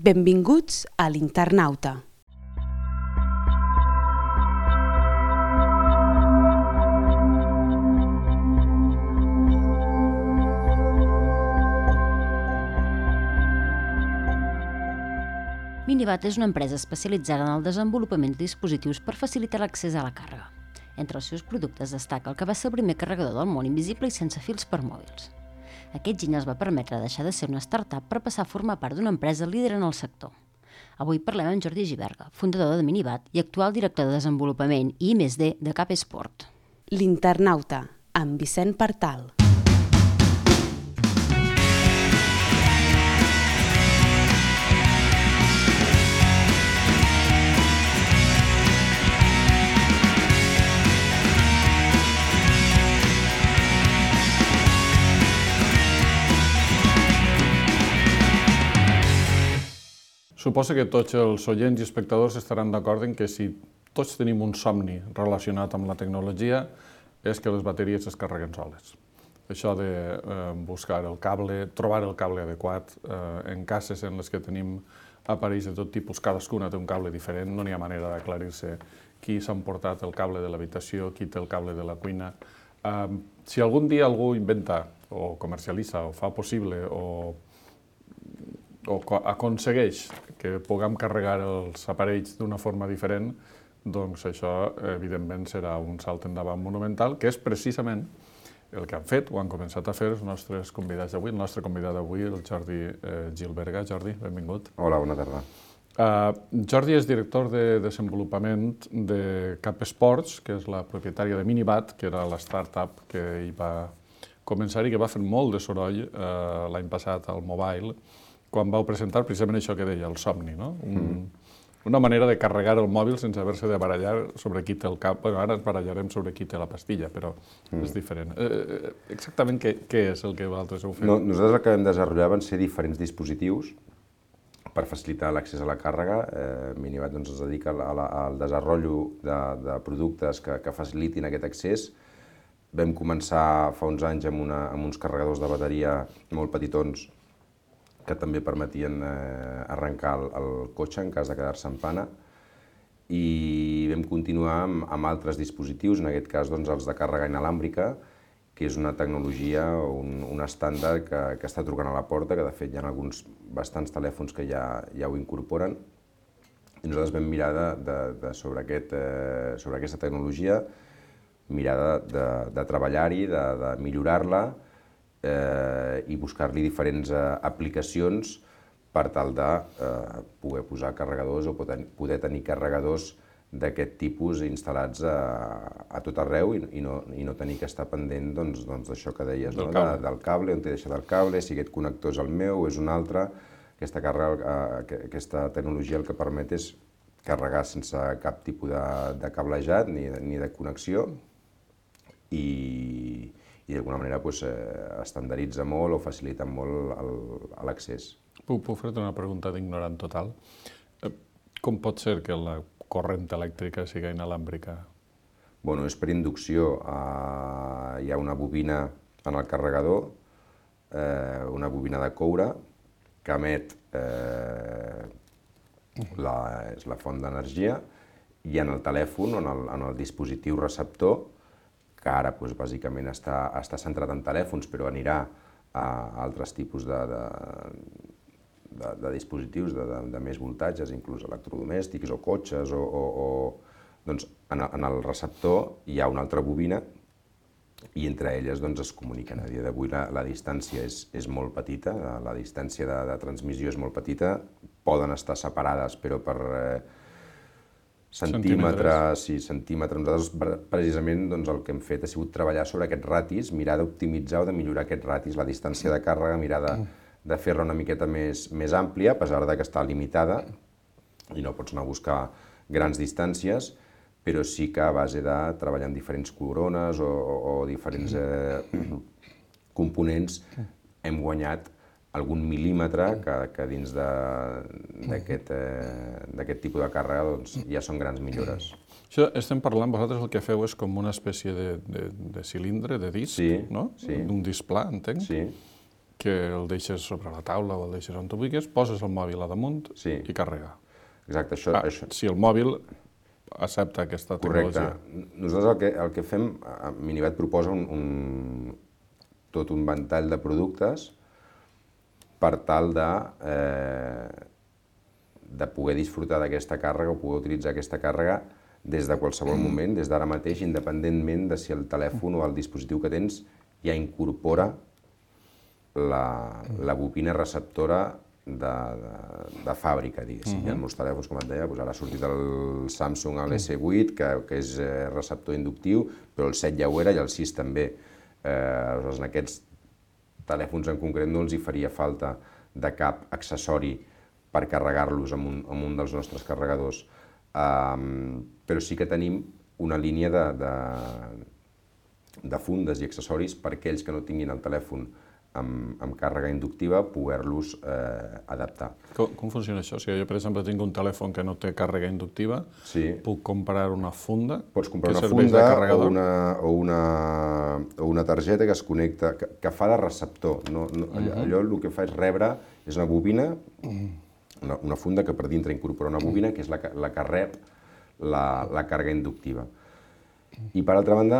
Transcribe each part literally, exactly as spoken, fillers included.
Benvinguts a l'Internauta. Minibat és una empresa especialitzada en el desenvolupament de dispositius per facilitar l'accés a la càrrega. Entre els seus productes destaca el que va ser el primer carregador del món invisible i sense fils per mòbils. Aquest giny els va permetre deixar de ser una startup per passar a formar part d'una empresa líder en el sector. Avui parlem amb Jordi Giberga, fundador de Minibat i actual director de desenvolupament i I més D de Cap Esport. L'Internauta, amb Vicent Partal. Suposo que tots els oients i espectadors estaran d'acord en que si tots tenim un somni relacionat amb la tecnologia és que les bateries es carreguen soles. Això de eh, buscar el cable, trobar el cable adequat, eh, en cases en les que tenim aparells de tot tipus, cadascuna té un cable diferent, no n'hi ha manera d'aclarir-se qui s'ha emportat el cable de l'habitació, qui té el cable de la cuina. Eh, si algun dia algú inventa o comercialitza o fa possible o o aconsegueix que puguem carregar els aparells d'una forma diferent, doncs això, evidentment, serà un salt endavant monumental, que és precisament el que han fet o han començat a fer els nostres convidats d'avui. El nostre convidat d'avui, el Jordi Giberga. Jordi, benvingut. Hola, bona tarda. Uh, Jordi és director de desenvolupament de Cap Esports, que és la propietària de Minibat, que era la startup que hi va començar i que va fer molt de soroll uh, l'any passat al mobile, quan vau presentar precisament això que deia, el somni, no? Un, mm. Una manera de carregar el mòbil sense haver-se de barallar sobre qui té el cap. Bueno, ara ens barallarem sobre qui té la pastilla, però mm. és diferent. Eh, exactament què, què és el que vosaltres heu fet? No, nosaltres el que vam desenvolupar van ser diferents dispositius per facilitar l'accés a la càrrega. Eh, Minibat doncs, es dedica a la, al desenvolupament de, de productes que, que facilitin aquest accés. Vam començar fa uns anys amb, una, amb uns carregadors de bateria molt petitons que també permetien eh, arrencar el, el cotxe en cas de quedar-se en pana, i vam continuar amb, amb altres dispositius, en aquest cas doncs, els de càrrega inalàmbrica, que és una tecnologia, un, un estàndard que, que està trucant a la porta, que de fet hi ha alguns bastants telèfons que ja, ja ho incorporen, i nosaltres vam mirar de, de, de sobre, aquest, eh, sobre aquesta tecnologia, mirar de, de, de treballar-hi, de, de millorar-la, Eh, i buscar-li diferents eh, aplicacions per tal de eh, poder posar carregadors o poder, poder tenir carregadors d'aquest tipus instal·lats a, a tot arreu i, i, no, i no tenir que estar pendent doncs, doncs, d'això que deies, del, no? cable. De, del cable, on t'he deixat el cable, si aquest connector és el meu o és un altre. Aquesta, càrrega, eh, aquesta tecnologia el que permet és carregar sense cap tipus de, de cablejat ni, ni de connexió i i d'alguna manera pues, eh, estandarditza molt o facilita molt l'accés. Puc, puc fer-te una pregunta d'ignorant total? Eh, com pot ser que la corrent elèctrica sigui inalàmbrica? Bueno, és per inducció. Eh, hi ha una bobina en el carregador, eh, una bobina de coure, que emet eh, la, és la font d'energia, i en el telèfon, en el, en el dispositiu receptor, que ara doncs, bàsicament està, està centrat en telèfons, però anirà a altres tipus de, de, de, de dispositius de, de, de més voltatges, inclús electrodomèstics o cotxes, o, o, o doncs, en, en el receptor hi ha una altra bobina i entre elles doncs, es comuniquen. A dia d'avui la, la distància és, és molt petita, la distància de, de transmissió és molt petita, poden estar separades però per eh, centímetres, sí, centímetres. Nosaltres precisament doncs, el que hem fet ha sigut treballar sobre aquests ratis, mirar d'optimitzar o de millorar aquests ratis, la distància de càrrega, mirar de, de fer-la una miqueta més, més àmplia, a pesar de que està limitada i no pots anar a buscar grans distàncies, però sí que a base de treballar amb diferents corones o, o, o diferents eh, components hem guanyat algun mil·límetre que, que dins d'aquest eh, tipus de càrrega doncs, ja són grans millores. Això estem parlant, vosaltres el que feu és com una espècie de, de, de cilindre, de disc, sí, no? Sí. Un disc pla, entenc? Sí. que el deixes sobre la taula o el deixes on tu vulguis, poses el mòbil a damunt Sí. i carrega. Exacte, això... Ah, això... Si el mòbil accepta aquesta Correcte. tecnologia. Nosaltres el que, el que fem, a Minibat proposa un, un, tot un ventall de productes per tal de, eh, de poder disfrutar d'aquesta càrrega o poder utilitzar aquesta càrrega des de qualsevol moment, des d'ara mateix, independentment de si el telèfon o el dispositiu que tens ja incorpora la, la bobina receptora de, de, de fàbrica, diguéssim. Hi ha molts telèfons, com et deia, doncs ara ha sortit el Samsung el esse vuit, que, que és eh, receptor inductiu, però el set ja ho era i el sis també. Eh, aleshores, en aquests telèfons en concret no els hi faria falta de cap accessori per carregar-los amb, un, amb un dels nostres carregadors. Um, però sí que tenim una línia de, de, de fundes i accessoris per aquells que no tinguin el telèfon amb, amb càrrega inductiva, poder-los eh, adaptar. Com, com funciona això? O sigui, jo, per exemple, tinc un telèfon que no té càrrega inductiva, Sí. puc comprar una funda Pots comprar que una serveix de funda o carregador? una, o, una, o una targeta que es connecta, que, que fa de receptor. No, no, allò, allò el que fa és rebre, és una bobina, una, una funda que per dintre incorpora una bobina, que és la, que- la que rep la, la càrrega inductiva. I per altra banda,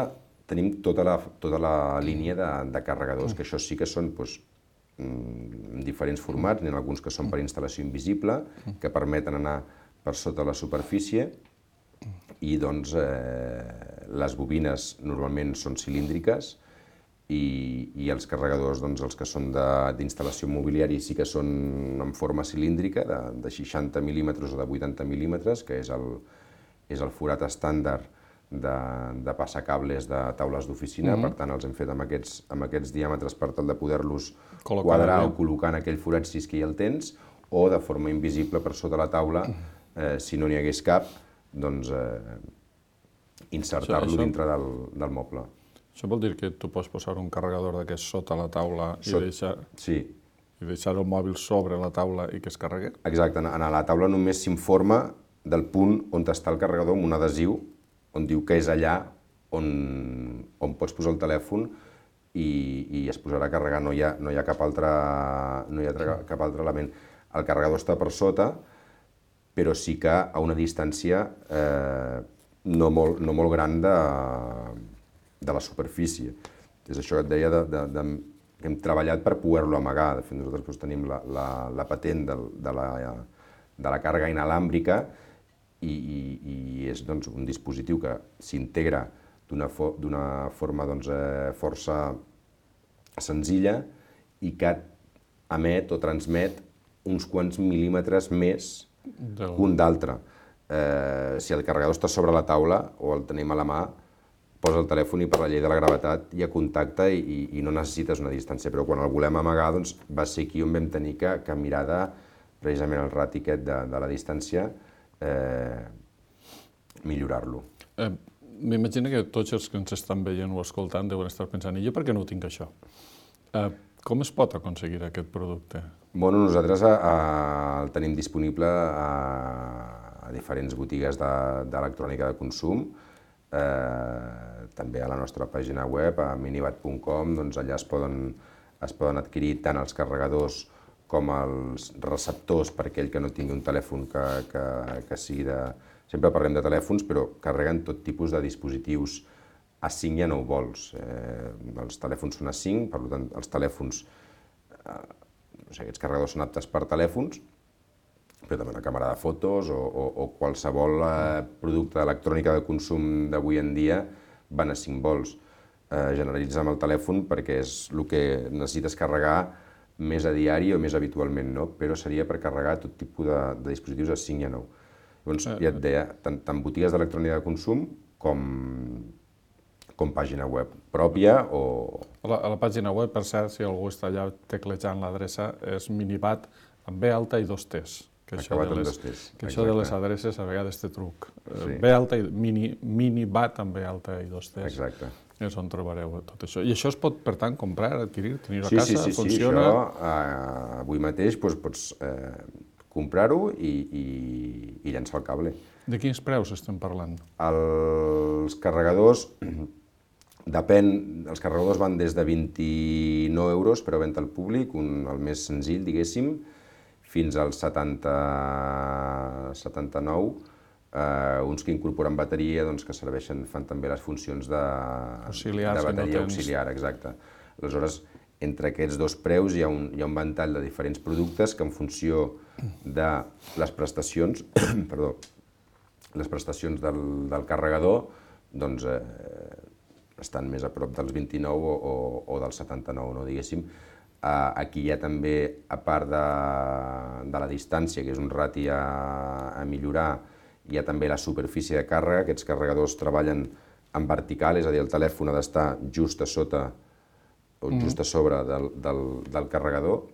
tenim tota la, tota la línia de, de carregadors, que això sí que són doncs, en diferents formats, n'hi ha alguns que són per instal·lació invisible, que permeten anar per sota la superfície, i doncs eh, les bobines normalment són cilíndriques i, i els carregadors, doncs, els que són de- d'instal·lació mobiliària sí que són en forma cilíndrica, de, de seixanta mil·límetres o de vuitanta mil·límetres, que és el, és el forat estàndard de, de passacables de taules d'oficina. Per tant, els hem fet amb aquests, amb aquests diàmetres per tal de poder-los Col·locar quadrar bé. o col·locar en aquell forat si és que hi el tens, o de forma invisible per sota la taula, eh, si no n'hi hagués cap, doncs eh, insertar-lo Això- dintre del, del moble. Això vol dir que tu pots posar un carregador d'aquest sota la taula i Sot- deixar, Sí, i deixar el mòbil sobre la taula i que es carregui? exacte. En a la taula només s'informa del punt on està el carregador amb un adhesiu on diu que és allà on, on pots posar el telèfon i, i es posarà a carregar. No hi ha, no hi ha, cap, altre, no hi ha tra- cap altre element. El carregador està per sota, però sí que a una distància eh, no, molt, no molt gran de, de la superfície. És això que et deia de, de, de, que hem treballat per poder-lo amagar. De fet, nosaltres doncs, tenim la, la, la patent del, de, la, de la càrrega inalàmbrica i, i, i és doncs, un dispositiu que s'integra d'una fo, forma doncs, eh, força senzilla i que emet o transmet uns quants mil·límetres més Del... que un d'altre. Eh, si el carregador està sobre la taula o el tenim a la mà, posa el telèfon i per la llei de la gravetat hi ha contacte i, i, i no necessites una distància, però quan el volem amagar doncs, va ser aquí on vam tenir que, que mirar de, precisament el rati aquest de, de la distància, eh, millorar-lo. Eh, M'imagino que tots els que ens estan veient o escoltant deuen estar pensant, i jo per què no ho tinc això? Eh, com es pot aconseguir aquest producte? Bueno, nosaltres a, a, el tenim disponible a, a diferents botigues d'electrònica de, de consum, eh, també a la nostra pàgina web, a minibat punt com, doncs allà es poden, es poden adquirir tant els carregadors com els receptors per aquell que no tingui un telèfon que, que, que sigui de... Sempre parlem de telèfons, però carreguen tot tipus de dispositius a cinc i a nou volts. Eh, els telèfons són a cinc, per tant, els telèfons, eh, no sé, aquests carregadors són aptes per telèfons, però també una càmera de fotos o, o, o qualsevol eh, producte d'electrònica de consum d'avui en dia van a cinc volts. Eh, generalitzar amb el telèfon perquè és el que necessites carregar més a diari o més habitualment, no? Però seria per carregar tot tipus de, de dispositius a cinc i a nou. Llavors, ja et deia, tant, tant botigues d'electrònica de consum com, com pàgina web pròpia o... A la, a la pàgina web, per cert, si algú està allà teclejant l'adreça, és minibat amb B alta i dos T's. Que això Acabat de amb les, dos T's, que això de les exacte. adreces a vegades té truc. Eh, Sí. B alta i mini, minibat amb B alta i dos T's. Exacte. És on trobareu tot això. I això es pot, per tant, comprar, adquirir, tenir a Sí, casa, sí, sí, sí, funciona... això eh, avui mateix doncs, pots eh, comprar-ho i, i, i llançar el cable. De quins preus estem parlant? Els carregadors depèn, els carregadors van des de vint-i-nou euros per a venda al públic, un, el més senzill, diguéssim, fins als setanta, setanta-nou, eh, uns que incorporen bateria, doncs, que serveixen, fan també les funcions de, Auxiliars, de bateria que no tens... auxiliar, exacte. Aleshores, entre aquests dos preus hi ha un, hi ha un ventall de diferents productes que en funció de les prestacions, perdó, les prestacions del, del carregador, doncs eh, estan més a prop dels vint-i-nou o, o, o dels setanta-nou, no, diguéssim. Eh, aquí hi ha també, a part de, de la distància, que és un rati a, a millorar, hi ha també la superfície de càrrega. Aquests carregadors treballen en vertical, és a dir, el telèfon ha d'estar just a sota o just a sobre del, del, del carregador,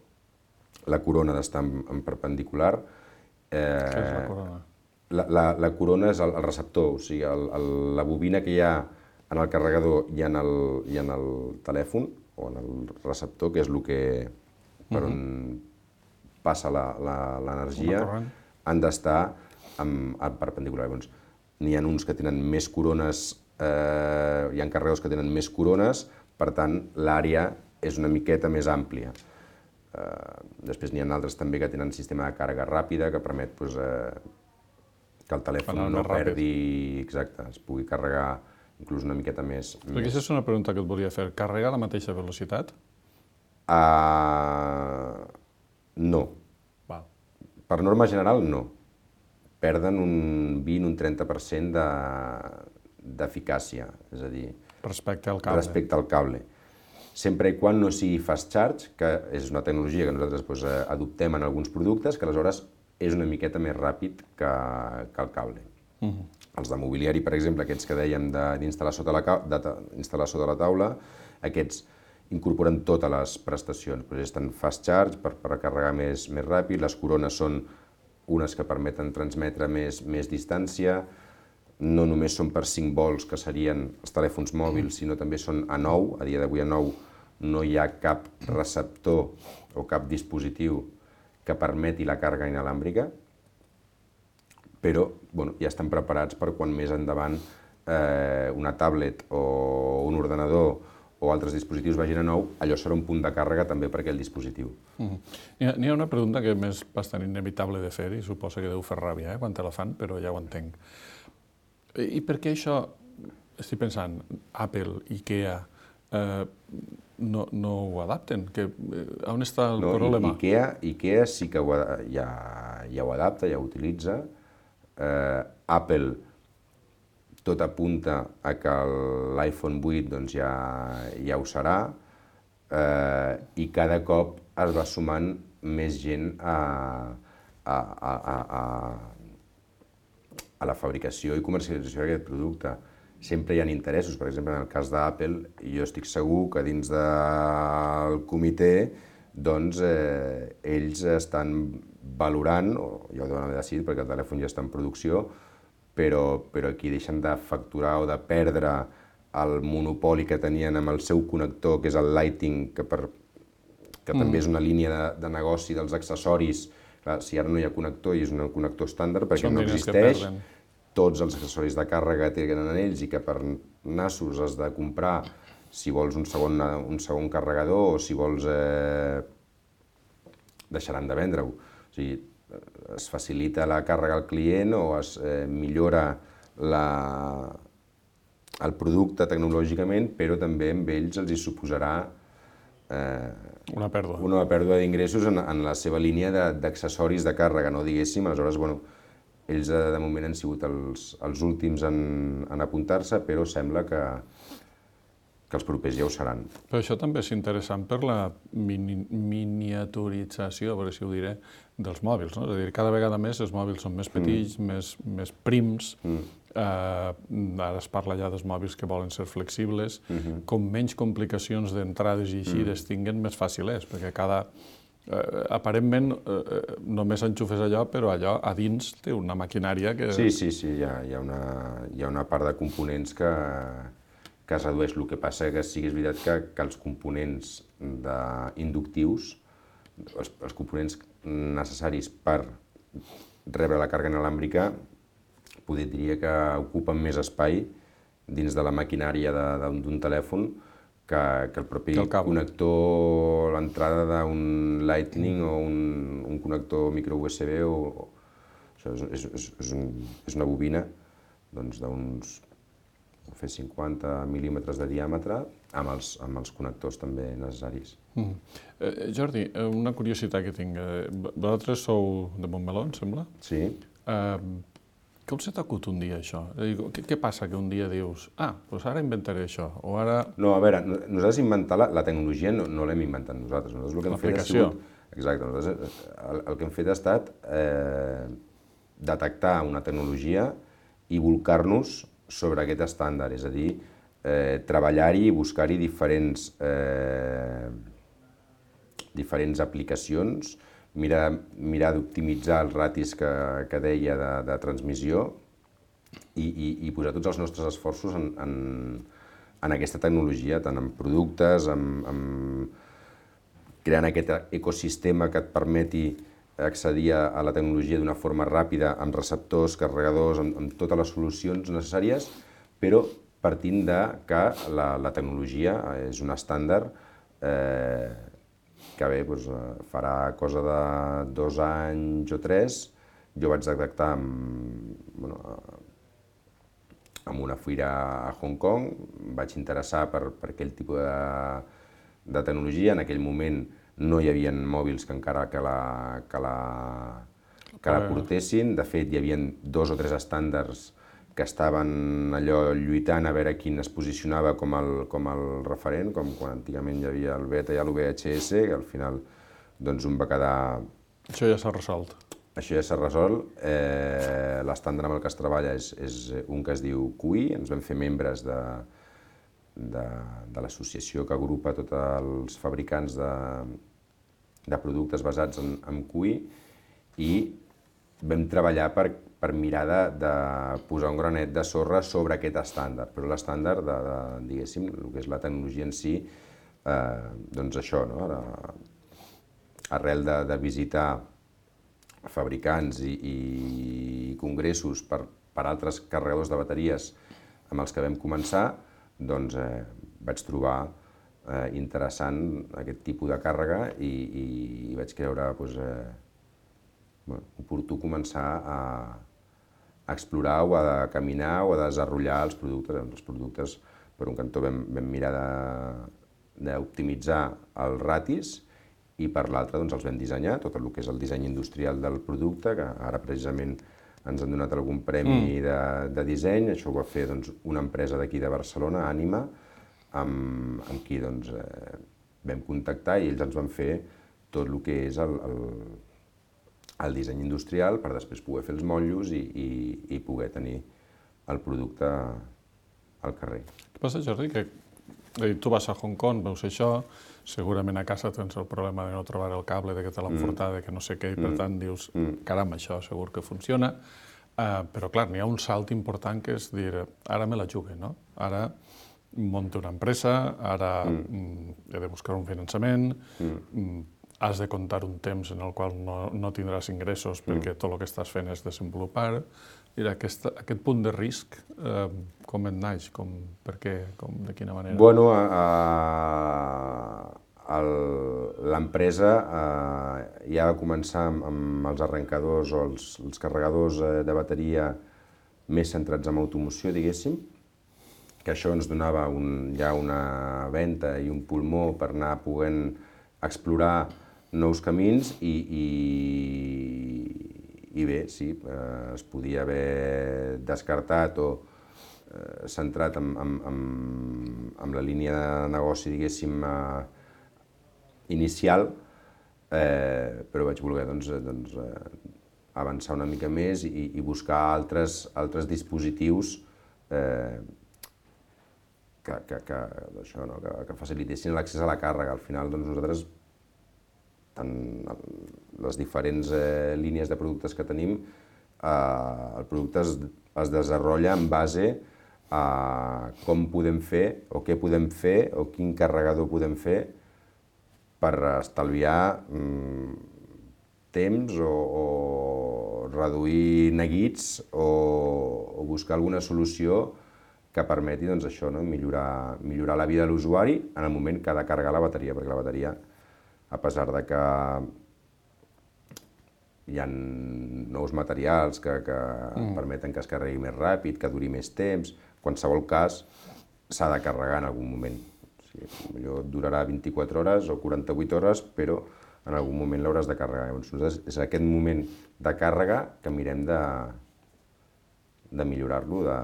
la corona ha d'estar en, en perpendicular. Eh, Què és la corona? La, la, la corona és el, el receptor, o sigui, el, el, la bobina que hi ha en el carregador i en el, i en el telèfon, o en el receptor, que és el que, per on passa l'energia, han d'estar en, en perpendicular. Doncs, n'hi ha uns que tenen més corones, eh, hi ha carregadors que tenen més corones, per tant, l'àrea és una miqueta més àmplia. Eh, després n'hi ha altres també que tenen sistema de càrrega ràpida que permet doncs, eh, que el telèfon no perdi, exacte, es pugui carregar inclús una miqueta més. Perquè aquesta és una pregunta que et volia fer. Carrega a la mateixa velocitat? Uh, no. Val. Per norma general, no. Perden un vint un trenta per cent d'eficàcia, és a dir, respecte al cable. Respecte al cable. Sempre i quan no sigui fast charge, que és una tecnologia que nosaltres doncs, adoptem en alguns productes, que aleshores és una miqueta més ràpid que, que el cable. Uh -huh. Els de mobiliari, per exemple, aquests que dèiem d'instal·lar sota, la, sota la taula, aquests incorporen totes les prestacions. Doncs estan fast charge per, per carregar més, més ràpid, les corones són unes que permeten transmetre més, més distància, no només són per cinc volts, que serien els telèfons mòbils, sinó també són a nou. A dia d'avui a nou no hi ha cap receptor o cap dispositiu que permeti la càrrega inalàmbrica, però bueno, ja estan preparats per quan més endavant eh, una tablet o un ordenador o altres dispositius vagin a nou, allò serà un punt de càrrega també per aquell dispositiu. Uh-huh. N'hi ha, n'hi ha una pregunta que és bastant inevitable de fer i suposo que deu fer ràbia eh, quan te la fan, però ja ho entenc. I per què això, estic pensant, Apple, IKEA, eh, no, no ho adapten? Que, eh, on està el no, problema? IKEA, IKEA sí que ho, ja, ja ho adapta, ja ho utilitza. Eh, Apple tot apunta a que l'iPhone vuit doncs, ja, ja ho serà eh, i cada cop es va sumant més gent a, a, a, a, a la fabricació i comercialització d'aquest producte. Sempre hi ha interessos, per exemple, en el cas d'Apple, jo estic segur que dins del comitè doncs, eh, ells estan valorant, o ja ho deuen haver decidit perquè el telèfon ja està en producció, però, però aquí deixen de facturar o de perdre el monopoli que tenien amb el seu connector, que és el Lighting, que, per, que mm. també és una línia de, de negoci dels accessoris. Clar, si ara no hi ha connector i és un connector estàndard perquè no existeix, tots els accessoris de càrrega que tenen en ells i que per nassos has de comprar si vols un segon, un segon carregador o si vols eh, deixaran de vendre-ho. O sigui, es facilita la càrrega al client o es eh, millora la, el producte tecnològicament, però també amb ells els hi suposarà eh, una pèrdua, una pèrdua d'ingressos en, en la seva línia d'accessoris de, de càrrega, no diguéssim. Aleshores, bueno, ells de moment han sigut els, els últims en, en apuntar-se, però sembla que, que els propers ja ho seran. Però això també és interessant per la mini, miniaturització, a veure si ho diré, dels mòbils, no? És a dir, cada vegada més els mòbils són més petits, mm. més, més prims, mm. eh, ara es parla ja dels mòbils que volen ser flexibles, mm-hmm. com menys complicacions d'entrades i eixides mm. tinguen, més fàcil és, perquè cada... Eh, aparentment eh, només enxufes allò, però allò a dins té una maquinària que... Sí, sí, sí, hi ha, hi ha, una, hi ha una part de components que, que es redueix. El que passa que sí que és veritat que, que els components de, inductius, els, els components necessaris per rebre la càrrega inalàmbrica, poder diria que ocupen més espai dins de la maquinària d'un telèfon que, que el propi el connector, l'entrada d'un Lightning o un, un connector micro U S B. O, o, això és, és, és, un, és una bobina doncs, d'uns fer cinquanta mil·límetres de diàmetre amb els, amb els connectors també necessaris. Mm. Eh, Jordi, una curiositat que tinc. Vosaltres sou de Montmeló, em sembla? Sí. Eh, Com se t'acut un dia això? Què, què passa que un dia dius, ah, doncs ara inventaré això, o ara... No, a veure, nosaltres inventar la, la tecnologia no, no l'hem inventat nosaltres. Nosaltres el que hem fet ha sigut... Exacte, nosaltres el, el que hem fet ha estat eh, detectar una tecnologia i volcar-nos sobre aquest estàndard, és a dir, eh, treballar-hi i buscar-hi diferents, eh, diferents aplicacions, mirar, mirar d'optimitzar els ratis que, que deia de, de transmissió i, i, i posar tots els nostres esforços en, en, en aquesta tecnologia, tant en productes, en, en creant aquest ecosistema que et permeti accedir a la tecnologia d'una forma ràpida, amb receptors, carregadors, amb, amb totes les solucions necessàries, però partint de que la, la tecnologia és un estàndard eh, que bé, doncs, farà cosa de dos anys o tres. Jo vaig detectar amb, bueno, amb una fira a Hong Kong, em vaig interessar per, per aquell tipus de, de tecnologia. En aquell moment no hi havia mòbils que encara que la, que la, que la portessin. De fet, hi havia dos o tres estàndards que estaven allò lluitant a veure quin es posicionava com el, com el referent, com quan antigament hi havia el Beta i el V H S, que al final doncs, un va quedar... Això ja s'ha resolt. Això ja s'ha resolt. Eh, L'estàndard amb el que es treballa és, és un que es diu Q I. Ens vam fer membres de, de, de l'associació que agrupa tots els fabricants de, de productes basats en, en Q I i vam treballar per, per mirar de, de posar un granet de sorra sobre aquest estàndard, però l'estàndard de, de, diguéssim, el que és la tecnologia en si, eh, doncs això, no? Ara, arrel de, de visitar fabricants i, i congressos per, per altres carregadors de bateries amb els que vam començar, doncs eh, vaig trobar eh, interessant aquest tipus de càrrega i, i, i vaig creure doncs, eh, bueno, oportú començar a, a explorar o a caminar o a desenvolupar els productes. Els productes, per un cantó, vam, vam mirar d'optimitzar els ratis i per l'altre doncs, els vam dissenyar, tot el que és el disseny industrial del producte, que ara precisament ens han donat algun premi mm. de, de disseny. Això ho va fer doncs, una empresa d'aquí de Barcelona, Ànima, amb, amb qui doncs, eh, vam contactar i ells ens van fer tot el que és el, el el disseny industrial per després poder fer els motllos i, i, i poder tenir el producte al carrer. Què passa, Jordi? Que tu vas a Hong Kong, veus això, segurament a casa tens el problema de no trobar el cable, de que te l'han furtat, de que no sé què, i per tant dius, caram, això segur que funciona. Uh, però clar, n'hi ha un salt important que és dir, ara me la jugue, no? Ara monto una empresa, ara mm. he de buscar un finançament, mm. has de comptar un temps en el qual no, no tindràs ingressos perquè tot el que estàs fent és desenvolupar. I aquest, aquest punt de risc, eh, com et naix? Com, per què? Com, de quina manera? Bueno, l'empresa eh, ja va començar amb, amb els arrencadors o els, els carregadors de bateria més centrats en automoció, diguéssim, que això ens donava un, ja una venta i un pulmó per anar podent explorar nous camins i, i, i bé, sí, eh, es podia haver descartat o eh, centrat en, en, en, en la línia de negoci, diguéssim, eh, inicial, eh, però vaig voler doncs, doncs, eh, avançar una mica més i, i buscar altres, altres dispositius eh, que, que, que, això, no? que, que facilitessin l'accés a la càrrega. Al final, doncs, nosaltres en les diferents eh, línies de productes que tenim, eh, el producte es, es desenvolupa en base a com podem fer o què podem fer o quin carregador podem fer per estalviar mm, temps o, o reduir neguits o, o buscar alguna solució que permeti doncs, això, no? millorar, millorar la vida de l'usuari en el moment que ha de carregar la bateria, perquè la bateria, a pesar de que hi ha nous materials que, que mm. permeten que es carregui més ràpid, que duri més temps, en qualsevol cas s'ha de carregar en algun moment. O sigui, potser durarà vint-i-quatre hores o quaranta-vuit hores, però en algun moment l'hauràs de carregar. Llavors, és aquest moment de càrrega que mirem de, de millorar-lo. De...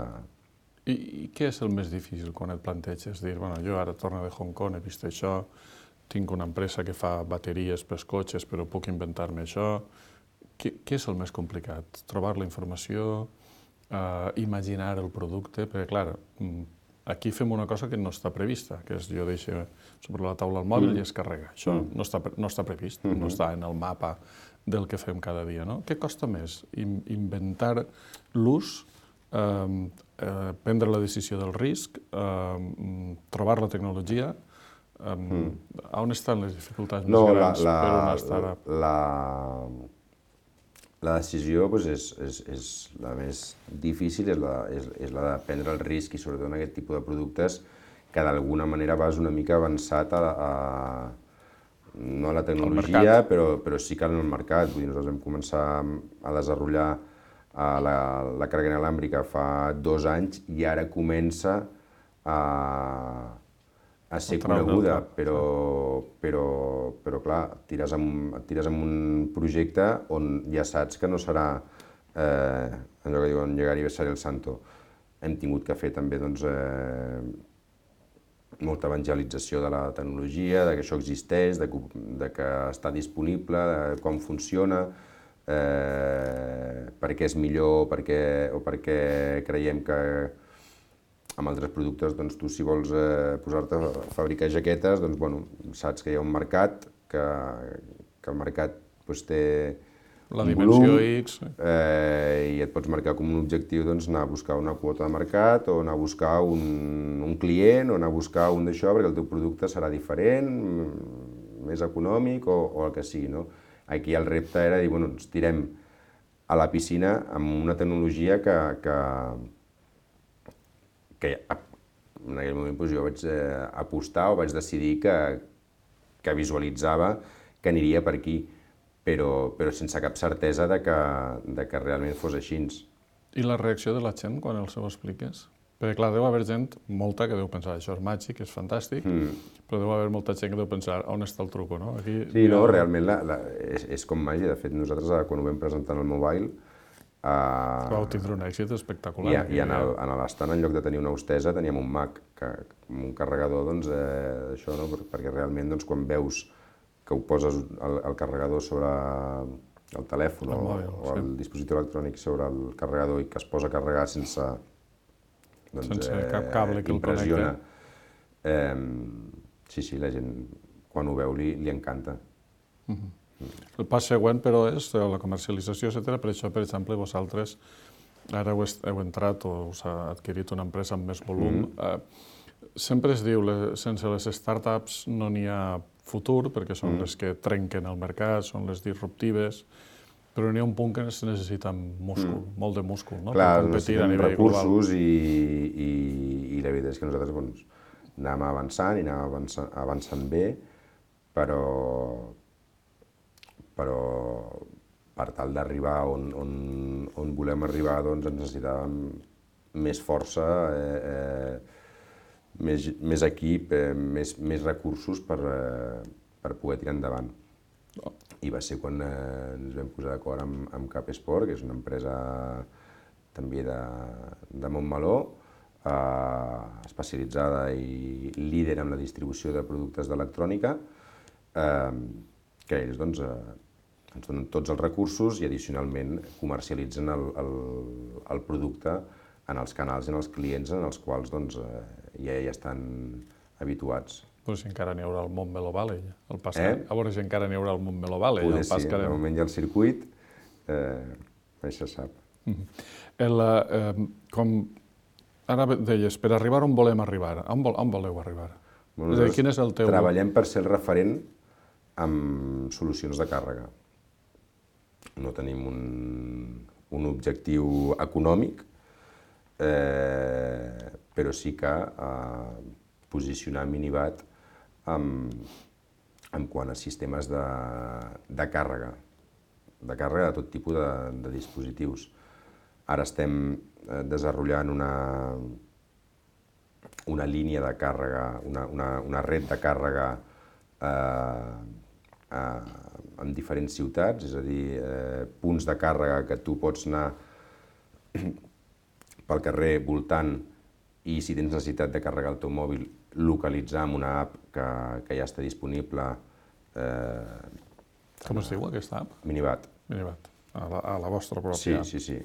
I, I què és el més difícil quan et planteges? Dir, bueno, jo ara torno de Hong Kong, he vist això, tinc una empresa que fa bateries pels cotxes, però puc inventar-me això. Què, què és el més complicat? Trobar la informació, eh, imaginar el producte, perquè, clar, aquí fem una cosa que no està prevista, que és jo deixo sobre la taula el mòbil mm. i es carrega. Això mm. no, està, no està previst, mm-hmm. no està en el mapa del que fem cada dia, no? Què costa més? In, inventar l'ús, eh, eh, prendre la decisió del risc, eh, trobar la tecnologia. Eh, mm. On estan les dificultats més no, grans la, la, per una startup? La, la decisió doncs, és, és, és la més difícil, és la, és, és la de prendre el risc i sobretot en aquest tipus de productes que d'alguna manera vas una mica avançat a, a no a la tecnologia, però, però sí que en el mercat. Vull dir, nosaltres vam començar a desenvolupar la, la càrrega inalàmbrica fa dos anys i ara comença a, a ser coneguda, però, però, però clar, et tires amb, et tires amb un projecte on ja saps que no serà eh, allò que diuen llegar i besar el santo. Hem tingut que fer també doncs, eh, molta evangelització de la tecnologia, de que això existeix, de que, de que està disponible, de com funciona, eh, per què és millor per què, o per què creiem que amb altres productes, doncs, tu si vols eh, posar-te a fabricar jaquetes, doncs, bueno, saps que hi ha un mercat, que, que el mercat doncs, té la un dimensió volum, X. eh, i et pots marcar com un objectiu doncs, anar a buscar una quota de mercat o anar a buscar un, un client o anar a buscar un d'això perquè el teu producte serà diferent, més econòmic o, o el que sigui. No? Aquí el repte era dir, bueno, ens tirem a la piscina amb una tecnologia que, que, que en aquell moment doncs, jo vaig eh, apostar o vaig decidir que, que visualitzava que aniria per aquí. Però, però sense cap certesa de que, de que realment fos així. I la reacció de la gent quan els ho expliques? Perquè, clar, deu haver gent, molta, que deu pensar això és màgic, és fantàstic, mm. però deu haver molta gent que deu pensar on està el truco, no? Aquí, sí, no, ha... realment la, la, és, és com màgia. De fet, nosaltres, quan ho vam presentar en el mobile... Uh, Vau tindre un èxit espectacular. I, i en l'estant, en lloc de tenir una hostesa, teníem un Mac, que, un carregador, doncs, eh, això, no? Perquè realment, doncs, quan veus que ho poses el, el carregador sobre el telèfon el mòbil, o, o el sí. dispositiu electrònic sobre el carregador i que es posa a carregar sense, doncs, sense eh, cap cable que el connecta. Eh, sí, sí, la gent quan ho veu li, li encanta. Uh-huh. mm. El pas següent, però, és la comercialització, etcètera. Per això, per exemple, vosaltres ara heu, heu entrat o us ha adquirit una empresa amb més volum. Mm. Eh, sempre es diu, les, sense les startups no n'hi ha futur, perquè són mm. les que trenquen el mercat, són les disruptives, però n'hi ha un punt que es necessita múscul, mm. molt de múscul, no? Clar, per competir a nivell recursos global. I, i, i la veritat és que nosaltres doncs, anàvem avançant i anàvem avançant, avançant bé, però, però per tal d'arribar on, on, on volem arribar doncs, ens necessitàvem més força, eh, eh, Més, més equip, eh, més, més recursos per, eh, per poder tirar endavant. Oh. I va ser quan eh, ens vam posar d'acord amb, amb Capesport, que és una empresa també de, de Montmeló, eh, especialitzada i líder en la distribució de productes d'electrònica, eh, que ells doncs, eh, ens donen tots els recursos i addicionalment comercialitzen el, el, el producte en els canals i en els clients en els quals doncs, eh, ja hi estan habituats. Però si encara n'hi haurà el Montmeló Valley. El pas eh? que... A veure si encara n'hi haurà el Montmeló Valley. Poder el pas sí, que de moment hi ha el circuit, eh, això se sap. Mm-hmm. el, eh, com ara deies, per arribar on volem arribar, on, vol, on voleu arribar? Bueno, és a dir, quin és el teu... Treballem per ser el referent amb solucions de càrrega. No tenim un, un objectiu econòmic, eh, però sí que eh, posicionar Minibat en, en quant a sistemes de, de càrrega, de càrrega de tot tipus de, de dispositius. Ara estem eh, desenvolupant una, una línia de càrrega, una, una, una red de càrrega eh, eh, en diferents ciutats, és a dir, eh, punts de càrrega que tu pots anar pel carrer voltant i si tens necessitat de carregar el teu mòbil, localitzar amb una app que, que ja està disponible. Eh, Com es diu aquesta app? Minibat. Minibat, a la, a la vostra pròpia Sí, app. sí, sí.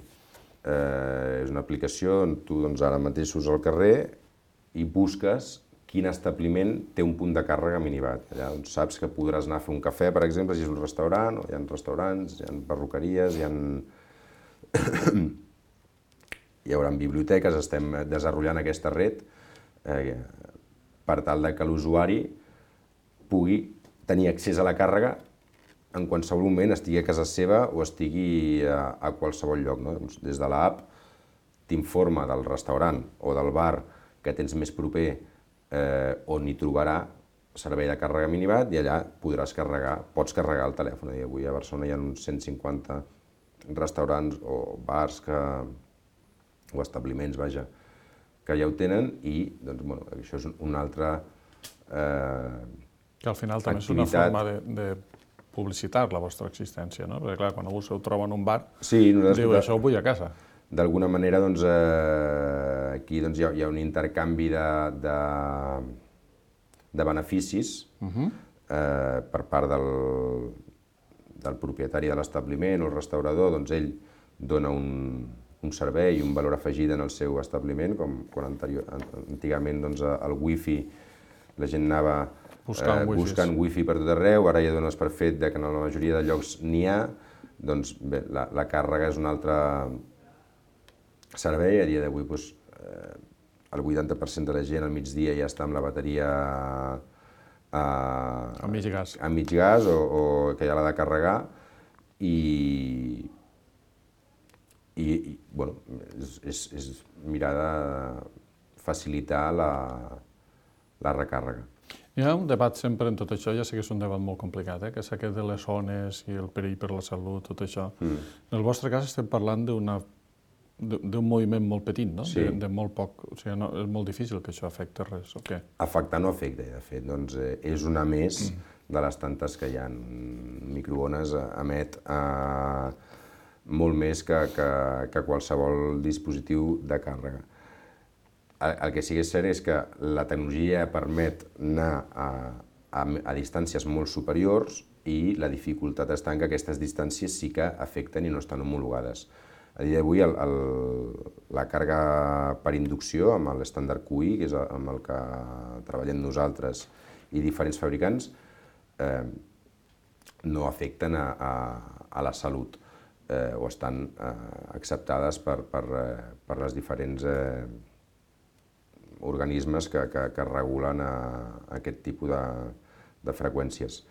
Eh, és una aplicació on tu doncs, ara mateix surts al carrer i busques quin establiment té un punt de càrrega Minibat. Allà doncs, saps que podràs anar a fer un cafè, per exemple, si és un restaurant, o hi ha restaurants, hi ha perruqueries, hi ha... hi haurà biblioteques, estem desenvolupant aquesta red eh, per tal de que l'usuari pugui tenir accés a la càrrega en qualsevol moment, estigui a casa seva o estigui a, a qualsevol lloc. No? Doncs des de l'app t'informa del restaurant o del bar que tens més proper eh, on hi trobarà servei de càrrega Minibat i allà podràs carregar, pots carregar el telèfon. I avui a Barcelona hi ha uns cent cinquanta restaurants o bars que, o establiments, vaja, que ja ho tenen i doncs, bueno, això és una altra eh, que al final també activitat. És una forma de, de publicitar la vostra existència, no? Perquè clar, quan algú se ho troba en un bar, sí, diu, això ho vull a casa. D'alguna manera, doncs, eh, aquí doncs, hi, ha, hi ha un intercanvi de, de, de beneficis uh-huh. eh, per part del, del propietari de l'establiment o el restaurador, doncs ell dona un, un servei i un valor afegit en el seu establiment, com quan anterior, antigament doncs, el wifi, la gent anava buscant, eh, buscant wifi per tot arreu, ara ja dones per fet que en la majoria de llocs n'hi ha, doncs bé, la, la càrrega és un altre servei. A dia d'avui doncs, eh, el vuitanta per cent de la gent al migdia ja està amb la bateria a, a mig gas, a mig gas o, o que ja l'ha de carregar i, i, i bueno, és, és, és mirar de facilitar la, la recàrrega. Hi ha un debat sempre en tot això, ja sé que és un debat molt complicat, eh? Que és aquest de les zones i el perill per la salut, tot això. Mm. En el vostre cas estem parlant d'una d'un moviment molt petit, no? Sí. De, de molt poc, o sigui, no, és molt difícil que això afecti res, o què? Afectar no afecta, de fet, doncs eh, és una més mm. de les tantes que hi ha. Microones emet eh, molt més que, que, que qualsevol dispositiu de càrrega. El que sí que és cert és que la tecnologia permet anar a, a, a distàncies molt superiors i la dificultat està en que aquestes distàncies sí que afecten i no estan homologades. A dia d'avui la càrrega per inducció amb l'estàndard Q I, que és amb el que treballem nosaltres i diferents fabricants, eh, no afecten a, a, a la salut eh, o estan eh, acceptades per, per, eh, per les diferents eh, organismes que, que, que regulen a, a aquest tipus de, de freqüències.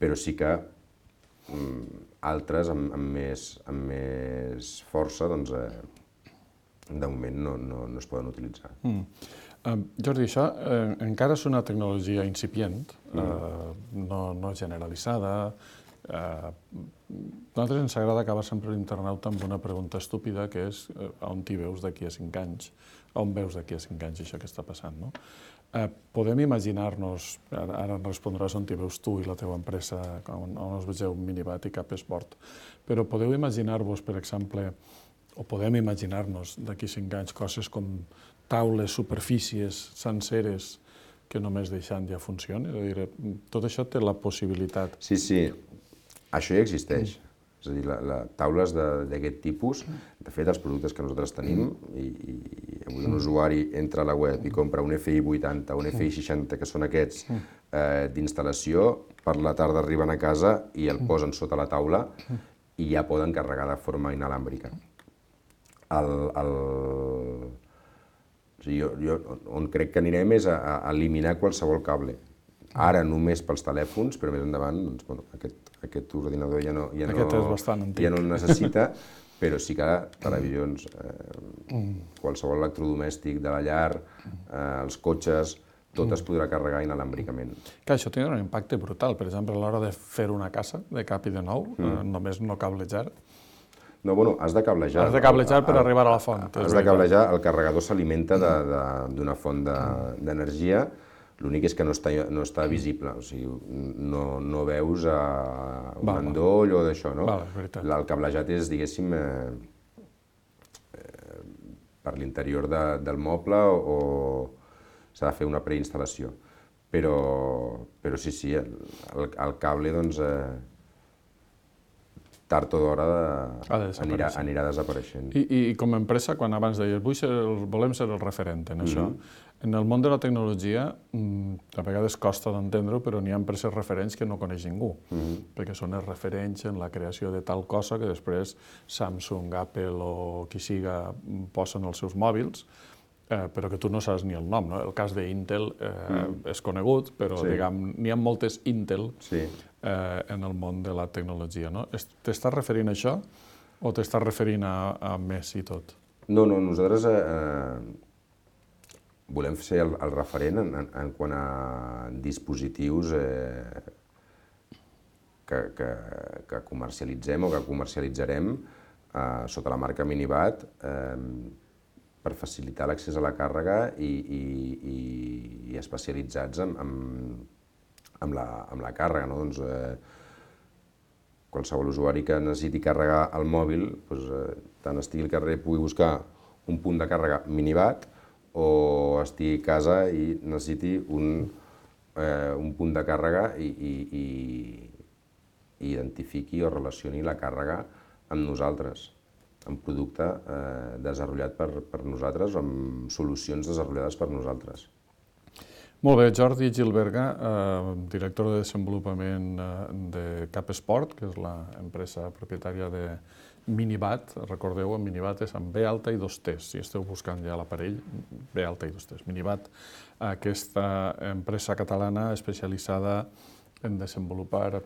Però sí que mm, altres amb, amb, més, amb més força, doncs, eh, de moment no, no, no es poden utilitzar. Mm. Uh, Jordi, això eh, encara és una tecnologia incipient, mm. eh, no, no generalitzada. Eh, a nosaltres ens agrada acabar sempre l'internauta amb una pregunta estúpida, que és eh, on t'hi veus d'aquí a cinc anys? On veus d'aquí a cinc anys això que està passant, no? Eh, podem imaginar-nos, ara, ara en respondràs on t'hi veus tu i la teva empresa, on, on us vegeu Minibat i Cap Esport, però podeu imaginar-vos, per exemple, o podem imaginar-nos d'aquí cinc anys coses com taules, superfícies senceres que només deixant ja funcionen? És a dir, tot això té la possibilitat. Sí, sí, això ja existeix. Mm. És a dir, la, la, taules d'aquest tipus, de fet, els productes que nosaltres tenim, i, i avui un usuari entra a la web i compra un F I vuitanta, un F I seixanta, que són aquests eh, d'instal·lació, per la tarda arriben a casa i el posen sota la taula i ja poden carregar de forma inalàmbrica. El, el... O sigui, jo, jo, on crec que anirem és a, a eliminar qualsevol cable. Ara només pels telèfons, però més endavant doncs, bueno, aquest, aquest ordinador ja no, ja, no, Aquest és bastant antic. ja no el necessita, però sí que televisions, eh, qualsevol electrodomèstic de la llar, eh, els cotxes, tot es podrà carregar inalàmbricament. Que això tindrà un impacte brutal. Per exemple, a l'hora de fer una casa de cap i de nou, mm. eh, només no cablejar. No, bueno, has de cablejar. Has de cablejar per arribar a la font. Has de cablejar, el carregador s'alimenta d'una font d'energia, l'únic és que no està, no està visible, o sigui, no, no veus uh, un val, endoll o d'això, no? Val, és veritat. El cablejat és, diguéssim, eh, eh, per l'interior de, del moble o s'ha de fer una preinstal·lació. Però, però sí, sí, el, el, el cable, doncs, eh, tard o d'hora de, anirà, anirà desapareixent. I, I com a empresa, quan abans deies, vull ser, volem ser el referent en això, mm-hmm. en el món de la tecnologia, a vegades costa d'entendre-ho, però n'hi ha empreses referents que no coneix ningú, mm-hmm. perquè són els referents en la creació de tal cosa que després Samsung, Apple o qui siga posen els seus mòbils, Eh, però que tu no saps ni el nom, no? El cas d'Intel eh, mm. és conegut, però sí. diguem, n'hi ha moltes Intel sí. eh, en el món de la tecnologia, no? T'estàs referint a això o t'estàs referint a, a més i tot? No, no, nosaltres eh, volem ser el, el referent en, en, en quant a dispositius eh, que, que, que comercialitzem o que comercialitzarem eh, sota la marca Minibat, eh, per facilitar l'accés a la càrrega i, i, i, i especialitzats en, en, en, la, en la càrrega. No? Doncs, eh, qualsevol usuari que necessiti carregar el mòbil, doncs, eh, tant estigui al carrer pugui buscar un punt de càrrega Minibat o estigui a casa i necessiti un, eh, un punt de càrrega i, i, i, i identifiqui o relacioni la càrrega amb nosaltres, un producte eh, desenvolupat per, per nosaltres o amb solucions desenvolupades per nosaltres. Molt bé, Jordi Gilberga, eh, director de desenvolupament eh, de CapSport, que és l'empresa propietària de Minibat. Recordeu, Minibat és amb B alta i dos T's, si esteu buscant ja l'aparell, B alta i dos T's. Minibat, aquesta empresa catalana especialitzada en desenvolupar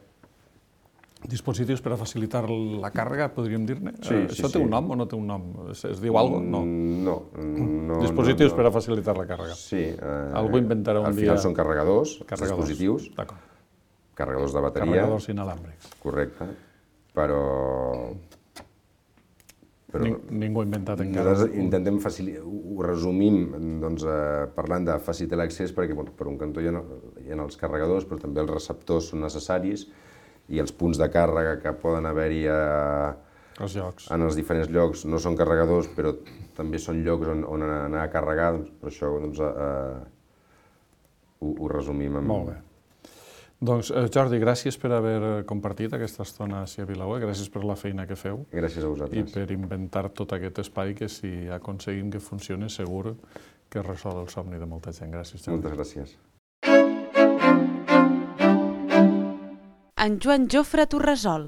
dispositius per a facilitar la càrrega, podríem dir-ne? Sí, sí, Això té sí. un nom o no té un nom? Es, es diu alguna cosa? No. no dispositius no, no. per a facilitar la càrrega. Sí. Eh, Algú inventarà un al dia... Al final són carregadors, carregadors. dispositius, carregadors de bateria. Carregadors inalàmbrics. Correcte. Però... però Ning, ningú ha inventat encara. Nosaltres intentem facilitar, ho resumim doncs, eh, parlant de facilitar l'accés perquè bueno, per un cantó hi ha, hi ha els carregadors, però també els receptors són necessaris i els punts de càrrega que poden haver-hi els llocs. En els diferents llocs no són carregadors, però també són llocs on, on anar a carregar, doncs, per això doncs, eh, ho, ho resumim. Amb... Molt bé. Doncs, eh, Jordi, gràcies per haver compartit aquesta estona a Vilaweb, gràcies per la feina que feu. Gràcies a vosaltres. I per inventar tot aquest espai que si aconseguim que funcioni segur que resol el somni de molta gent. Gràcies, Jordi. Moltes gràcies. En Joan Jofre Torresol.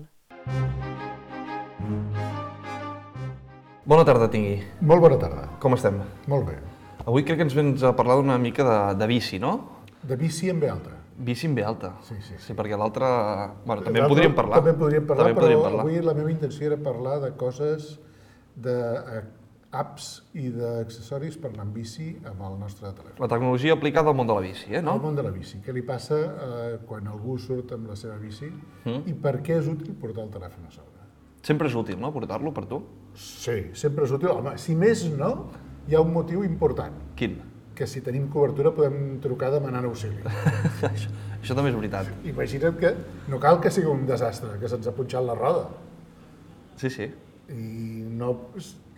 Bona tarda tingui. Molt bona tarda. Com estem? Molt bé. Avui crec que ens vens a parlar d'una mica de, de bici, no? De bici en B alta. Bici en B alta. Sí, sí. Sí, perquè l'altra... Bueno, també en podríem parlar. També en podríem parlar, també però podríem parlar. Avui la meva intenció era parlar de coses, de apps i d'accessoris per anar amb bici amb el nostre telèfon. La tecnologia aplicada al món de la bici, eh, no? Al món de la bici. Què li passa eh, quan algú surt amb la seva bici mm. i per què és útil portar el telèfon a sobre? Sempre és útil, no?, portar-lo per tu? Sí, sempre és útil. Home, si més no, hi ha un motiu important. Quin? Que si tenim cobertura podem trucar demanant auxili. això, això també és veritat. Imagina't que no cal que sigui un desastre, que se'ns ha punxat la roda. Sí, sí. I, no,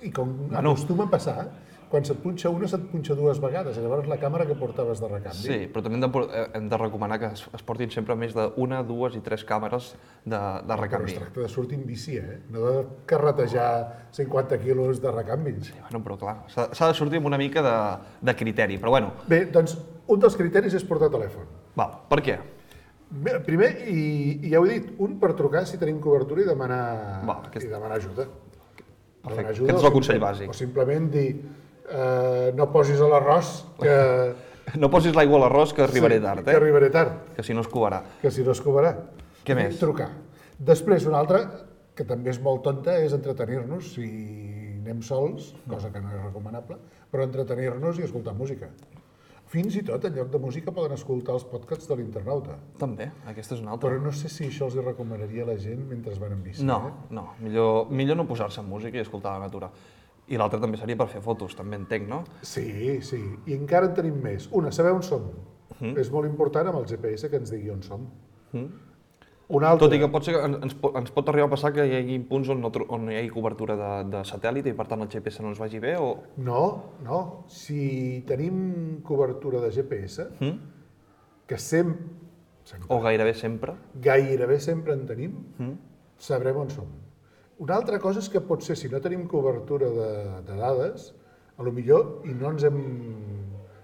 i com bueno. acostuma a passar, quan se't punxa una, se't punxa dues vegades, i llavors la càmera que portaves de recanvi. Sí, però també hem de, hem de recomanar que es, es portin sempre més d'una, dues i tres càmeres de, de recanvi. Però es tracta de sortir en bici, eh? No de carretejar cinquanta quilos de recanvi. Sí, bueno, però clar, s'ha de sortir amb una mica de, de criteri, però bueno. Bé, doncs, un dels criteris és portar telèfon. Val, per què? Bé, primer, i, i ja ho he dit, un per trucar si tenim cobertura i demanar, Val, aquest... i demanar ajuda. Perfecte, demanar ajuda, aquest és el consell bàsic. O simplement dir, eh, no posis a l'arròs que... No posis l'aigua a l'arròs que arribaré sí, tard, eh? que arribaré tard. Que si no es covarà. Que si no es covarà. Què més? Trucar. Després, una altra, que també és molt tonta, és entretenir-nos si anem sols, cosa que no és recomanable, però entretenir-nos i escoltar música. Fins i tot, en lloc de música, poden escoltar els podcasts de l'internauta. També, aquesta és una altra. Però no sé si això els hi recomanaria a la gent mentre van en bici. No, eh? no, millor, millor no posar-se en música i escoltar la natura. I l'altra també seria per fer fotos, també entenc, no? Sí, sí. I encara en tenim més. Una, saber on som. Mm. És molt important amb el G P S que ens digui on som. Mm. Una altra. Tot i que pot ser que ens, ens pot arribar a passar que hi hagi punts on, no, on hi hagi cobertura de, de satèl·lit i per tant el G P S no ens vagi bé o... No, no. Si tenim cobertura de G P S, mm. que sempre, sempre... O gairebé sempre. Gairebé sempre en tenim, mm. sabrem on som. Una altra cosa és que potser si no tenim cobertura de, de dades, a lo millor, i no ens hem,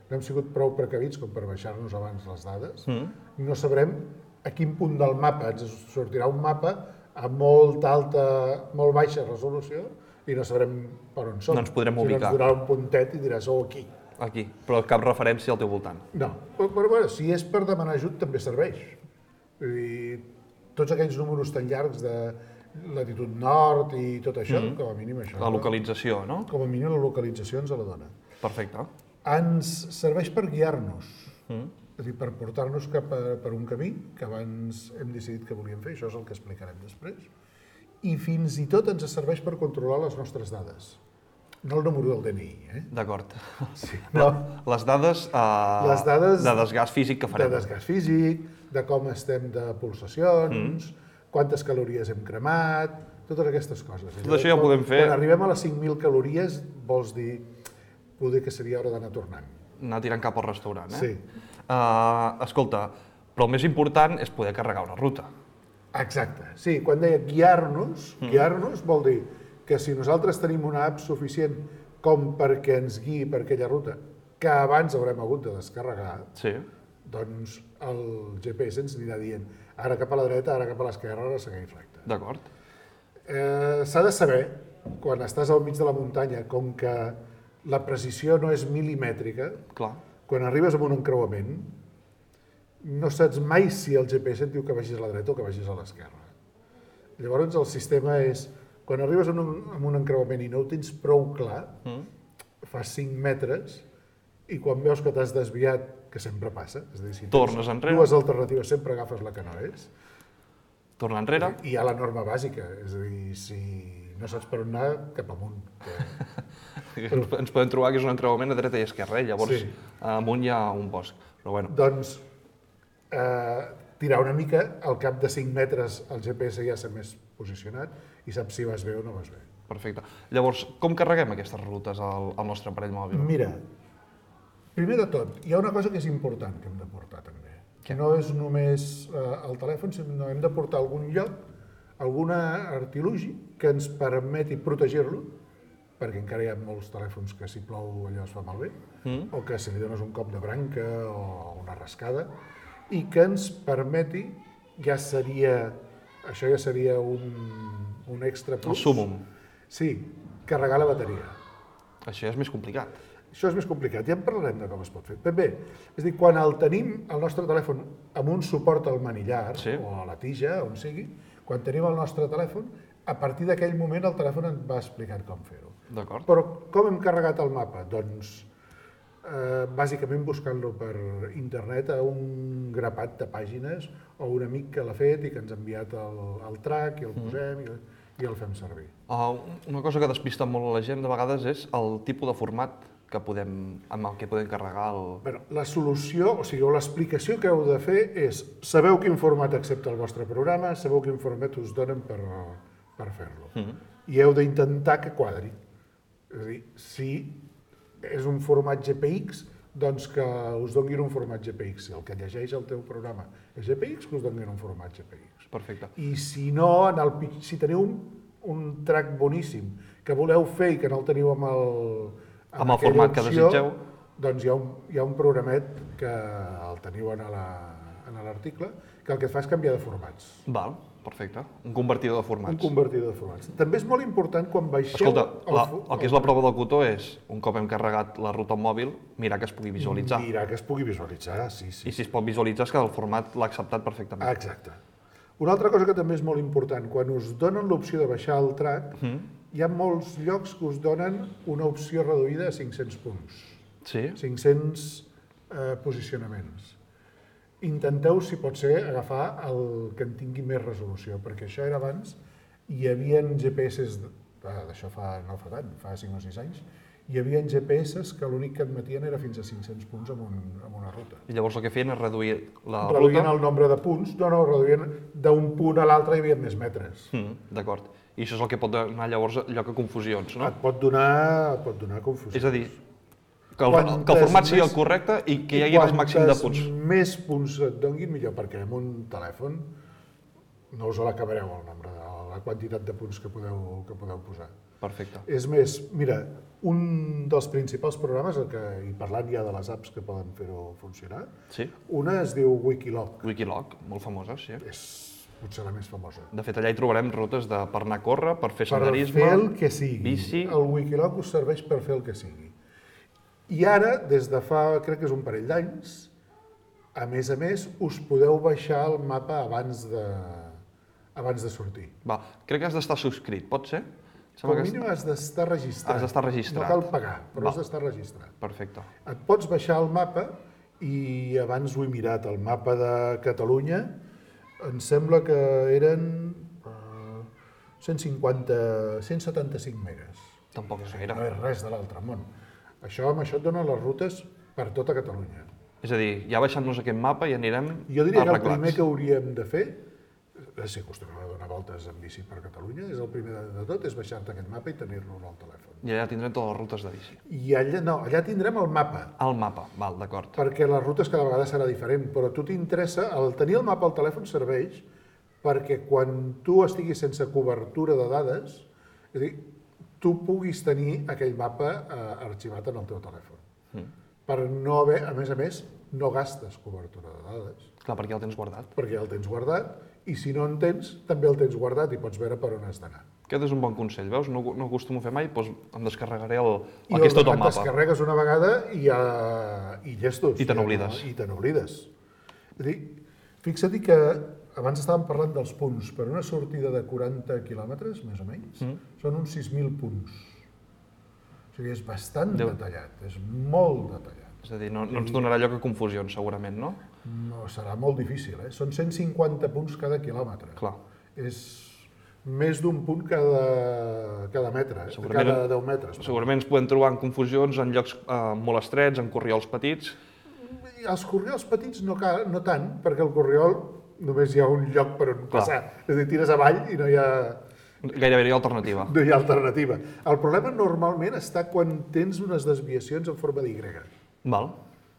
no hem sigut prou precavits com per baixar-nos abans les dades, mm. no sabrem a quin punt del mapa ens sortirà un mapa a molt alta, molt baixa resolució i no sabrem per on som. No ens podrem ubicar. Si no ens donarà un puntet i diràs, oh, aquí. Aquí, però cap referència al teu voltant. No, però, però bueno, si és per demanar ajut també serveix. Vull dir, tots aquells números tan llargs de latitud nord i tot això, mm-hmm. com a mínim això. La localització, no? Com a mínim la localització ens la dona. Perfecte. Ens serveix per guiar-nos. Mm. És a dir, per portar-nos cap a, per un camí que abans hem decidit que volíem fer, això és el que explicarem després, i fins i tot ens serveix per controlar les nostres dades. No el número del D N I, eh? D'acord. Sí, no. Les dades, uh, les dades de desgast físic que farem. De desgast físic, de com estem de pulsacions, mm. quantes calories hem cremat, totes aquestes coses. Tot això ja ho podem fer. Quan arribem a les cinc mil calories, vols dir, poder que seria hora d'anar tornant. Anar tirant cap al restaurant, eh? Sí. Uh, escolta, però el més important és poder carregar una ruta. Exacte. Sí, quan deia guiar-nos, mm. guiar-nos vol dir que si nosaltres tenim una app suficient com perquè ens guiï per aquella ruta, que abans haurem hagut de descarregar, sí. doncs el G P S ens anirà dient ara cap a la dreta, ara cap a l'esquerra, ara segueix recte. D'acord. Eh, S'ha de saber, quan estàs al mig de la muntanya, com que la precisió no és milimètrica, clar. Quan arribes a un encreuament, no saps mai si el G P S et diu que vagis a la dreta o que vagis a l'esquerra. Llavors el sistema és, quan arribes a un, a un encreuament i no ho tens prou clar, mm. fas cinc metres i quan veus que t'has desviat, que sempre passa, és a dir, si tornes enrere. Dues alternatives sempre agafes la que no és. Torna enrere. I hi ha la norma bàsica, és a dir, si no saps per on anar, cap amunt. Que... Ens podem trobar que és un encreuament a dreta i esquerra, llavors sí. amunt hi ha un bosc. Però bueno. Doncs eh, tirar una mica, al cap de cinc metres el G P S ja s'ha més posicionat i saps si vas bé o no vas bé. Perfecte. Llavors, com carreguem aquestes rutes al, al nostre aparell mòbil? Mira, primer de tot, hi ha una cosa que és important que hem de portar també. Que no és només eh, el telèfon, sinó hem de portar a algun lloc, alguna artilugi que ens permeti protegir-lo, perquè encara hi ha molts telèfons que si plou allò es fa malbé, mm. o que si li dones un cop de branca o una rascada, i que ens permeti, ja seria, això ja seria un, un extra plus. El súmum. Sí, carregar la bateria. Això ja és més complicat. Això és més complicat, ja en parlarem de com es pot fer. Ben bé, és a dir, quan el tenim, el nostre telèfon, amb un suport al manillar, sí. o a la tija, on sigui, quan tenim el nostre telèfon, a partir d'aquell moment el telèfon ens va explicant com fer-ho. D'acord. Però com hem carregat el mapa? Doncs, eh, bàsicament buscant-lo per internet a un grapat de pàgines o un amic que l'ha fet i que ens ha enviat el, el track i el posem mm. i, i el fem servir. Uh, una cosa que despista molt a la gent de vegades és el tipus de format que podem, amb el que podem carregar el... Bueno, la solució, o sigui, l'explicació que heu de fer és sabeu quin format accepta el vostre programa, sabeu quin format us donen per, per fer-lo. Mm. I heu d'intentar que quadri. És a dir, si és un format G P X, doncs que us donguin un format G P X. Si el que llegeix el teu programa és G P X, que us donguin un format G P X. Perfecte. I si no, en el, si teniu un, un track boníssim que voleu fer i que no el teniu amb el, amb amb el format opció, que desitgeu, doncs hi ha, un, hi ha un programet que el teniu en l'article, que el que et fa és canviar de formats. Val. Perfecte. Un convertidor de formats. Un convertidor de formats. També és molt important quan baixeu... Escolta, la, el que és la prova del cotó és, un cop hem carregat la ruta al mòbil, mirar que es pugui visualitzar. Mirar que es pugui visualitzar, sí, sí. I si es pot visualitzar és que el format l'ha acceptat perfectament. Exacte. Una altra cosa que també és molt important, quan us donen l'opció de baixar el track, mm. hi ha molts llocs que us donen una opció reduïda a cinc-cents punts. Sí? cinc-cents eh, posicionaments. Intenteu, si pot ser, agafar el que en tingui més resolució, perquè això era abans, hi havia G P S, d'això fa, no fa tant, fa cinc o sis anys, hi havia G P S que l'únic que admetien era fins a cinc-cents punts en, un, en una ruta. I llavors el que feien és reduir la reduïen ruta? el nombre de punts, no, no, reduïen d'un punt a l'altre hi havia més metres. Mm, D'acord. I això és el que pot donar llavors lloc a confusions, no? Et pot donar, et pot donar confusió. És a dir, que el, que el format sigui el correcte i que hi hagi el màxim de punts. Quantes més punts et donguin, millor, perquè amb un telèfon no us l'acabareu el nombre, de, la quantitat de punts que podeu, que podeu posar. Perfecte. És més, mira, un dels principals programes, el que, i parlant ja de les apps que poden fer-ho funcionar, Sí? una es diu Wikiloc. Wikiloc, molt famosa, sí. És potser la més famosa. De fet, allà hi trobarem rutes de, per anar a córrer, per fer Per senderisme, fer el que sigui. bici... El Wikiloc us serveix per fer el que sigui. I ara, des de fa, crec que és un parell d'anys, a més a més, us podeu baixar el mapa abans de, abans de sortir. Va, crec que has d'estar subscrit, pot ser? Com a mínim has d'estar registrat. Has d'estar registrat. No cal pagar, però Va. has d'estar registrat. Perfecte. Et pots baixar el mapa i abans ho he mirat, el mapa de Catalunya, em sembla que eren uh, cent cinquanta, cent setanta-cinc megas. Tampoc és gaire. No és res de l'altre món. Això, amb això et donen les rutes per tota Catalunya. És a dir, ja baixant-nos aquest mapa i anirem Jo diria que el arreglats. primer que hauríem de fer, si acostumem a donar voltes en bici per Catalunya, és el primer de tot, és baixar-te aquest mapa i tenir-lo al telèfon. I allà tindrem totes les rutes de bici. I allà, no, allà tindrem el mapa, El mapa, val, d'acord. perquè les rutes cada vegada serà diferent, però a tu t'interessa, el tenir el mapa al telèfon serveix perquè quan tu estiguis sense cobertura de dades, és a dir, tu puguis tenir aquell mapa eh, arxivat en el teu telèfon. Mm. Per no haver, a més a més, no gastes cobertura de dades, Clar, perquè ja el tens guardat. perquè ja el tens guardat, i si no en tens, també el tens guardat i pots veure per on has d'anar. Aquest és un bon consell, veus? No, no acostumo a fer mai, doncs em descarregaré el, I el que és tot el et mapa. descarregues una vegada i, ja, i llestos. I te ja n'oblides. No, I te n'oblides. És a dir, fixa't que abans estàvem parlant dels punts. Per una sortida de quaranta quilòmetres, més o menys, mm. són uns sis mil punts. O sigui, és bastant Déu. detallat, és molt detallat. És a dir, no, no ens donarà lloc a confusions, segurament, no? No, serà molt difícil, eh? Són cent cinquanta punts cada quilòmetre. Clar. És més d'un punt cada, cada metre, eh? cada deu metres. Segurament ens podem trobar en confusions en llocs eh, molt estrets, en corriols petits. I els corriols petits no, cal, no tant, perquè el corriol només hi ha un lloc per on Clar. passar. És a dir, tires avall i no hi ha, Gairebé hi ha alternativa. no hi ha alternativa. El problema normalment està quan tens unes desviacions en forma d'Y. Val,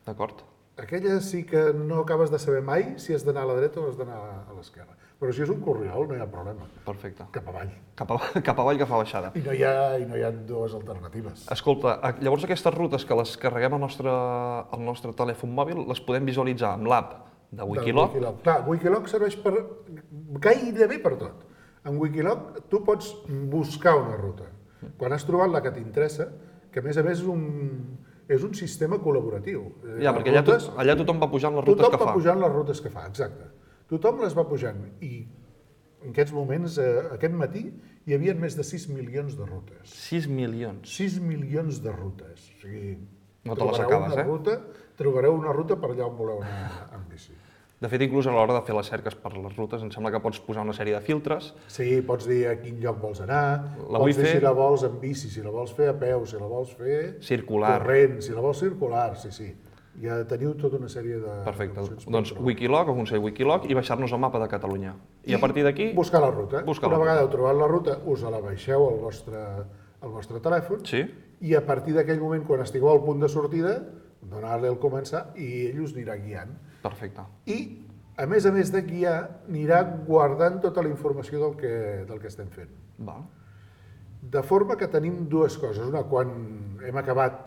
d'acord. Aquelles sí que no acabes de saber mai si has d'anar a la dreta o has d'anar a l'esquerra. Però si és un corriol no hi ha problema. Perfecte. Cap avall. Cap, a, cap avall, cap a baixada. I no hi ha, i no hi ha dues alternatives. Escolta, a- llavors aquestes rutes que les carreguem al nostre, al nostre telèfon mòbil les podem visualitzar amb l'app de Wikiloc. De Wikiloc. Clar, Wikiloc serveix per gairebé per tot. En Wikiloc tu pots buscar una ruta. Quan has trobat la que t'interessa, que a més a més és un, és un sistema col·laboratiu. Ja, Les perquè allà, to, rutes- allà tothom va pujant les rutes Tothom que va fa. pujant les rutes que fa, exacte. Tothom les va pujant i en aquests moments, eh, aquest matí, hi havia més de sis milions de rutes. sis milions. sis milions de rutes. O sigui, No te les trobareu acabes, una eh? Ruta, trobareu una ruta per allà on voleu anar amb bici. De fet, inclús a l'hora de fer les cerques per les rutes, em sembla que pots posar una sèrie de filtres. Sí, pots dir a quin lloc vols anar, La pots vull dir fer- si la vols en bici, si la vols fer a peu, si la vols fer Circular. corrent, si la vols circular, sí, sí. Ja teniu tota una sèrie de... Perfecte. d'opcions per Doncs trobar. Wikiloc, o consell Wikiloc, i baixar-nos el mapa de Catalunya. I, a partir d'aquí... Buscar la ruta. buscar Una la vegada ruta. heu trobat la ruta, us la baixeu al vostre, al vostre telèfon Sí? i a partir d'aquell moment, quan estigueu al punt de sortida, donar-li el començar i ell us anirà guiant. Perfecte. I, a més a més de guiar, anirà guardant tota la informació del que, del que estem fent. Val. De forma que tenim dues coses. Una, quan hem acabat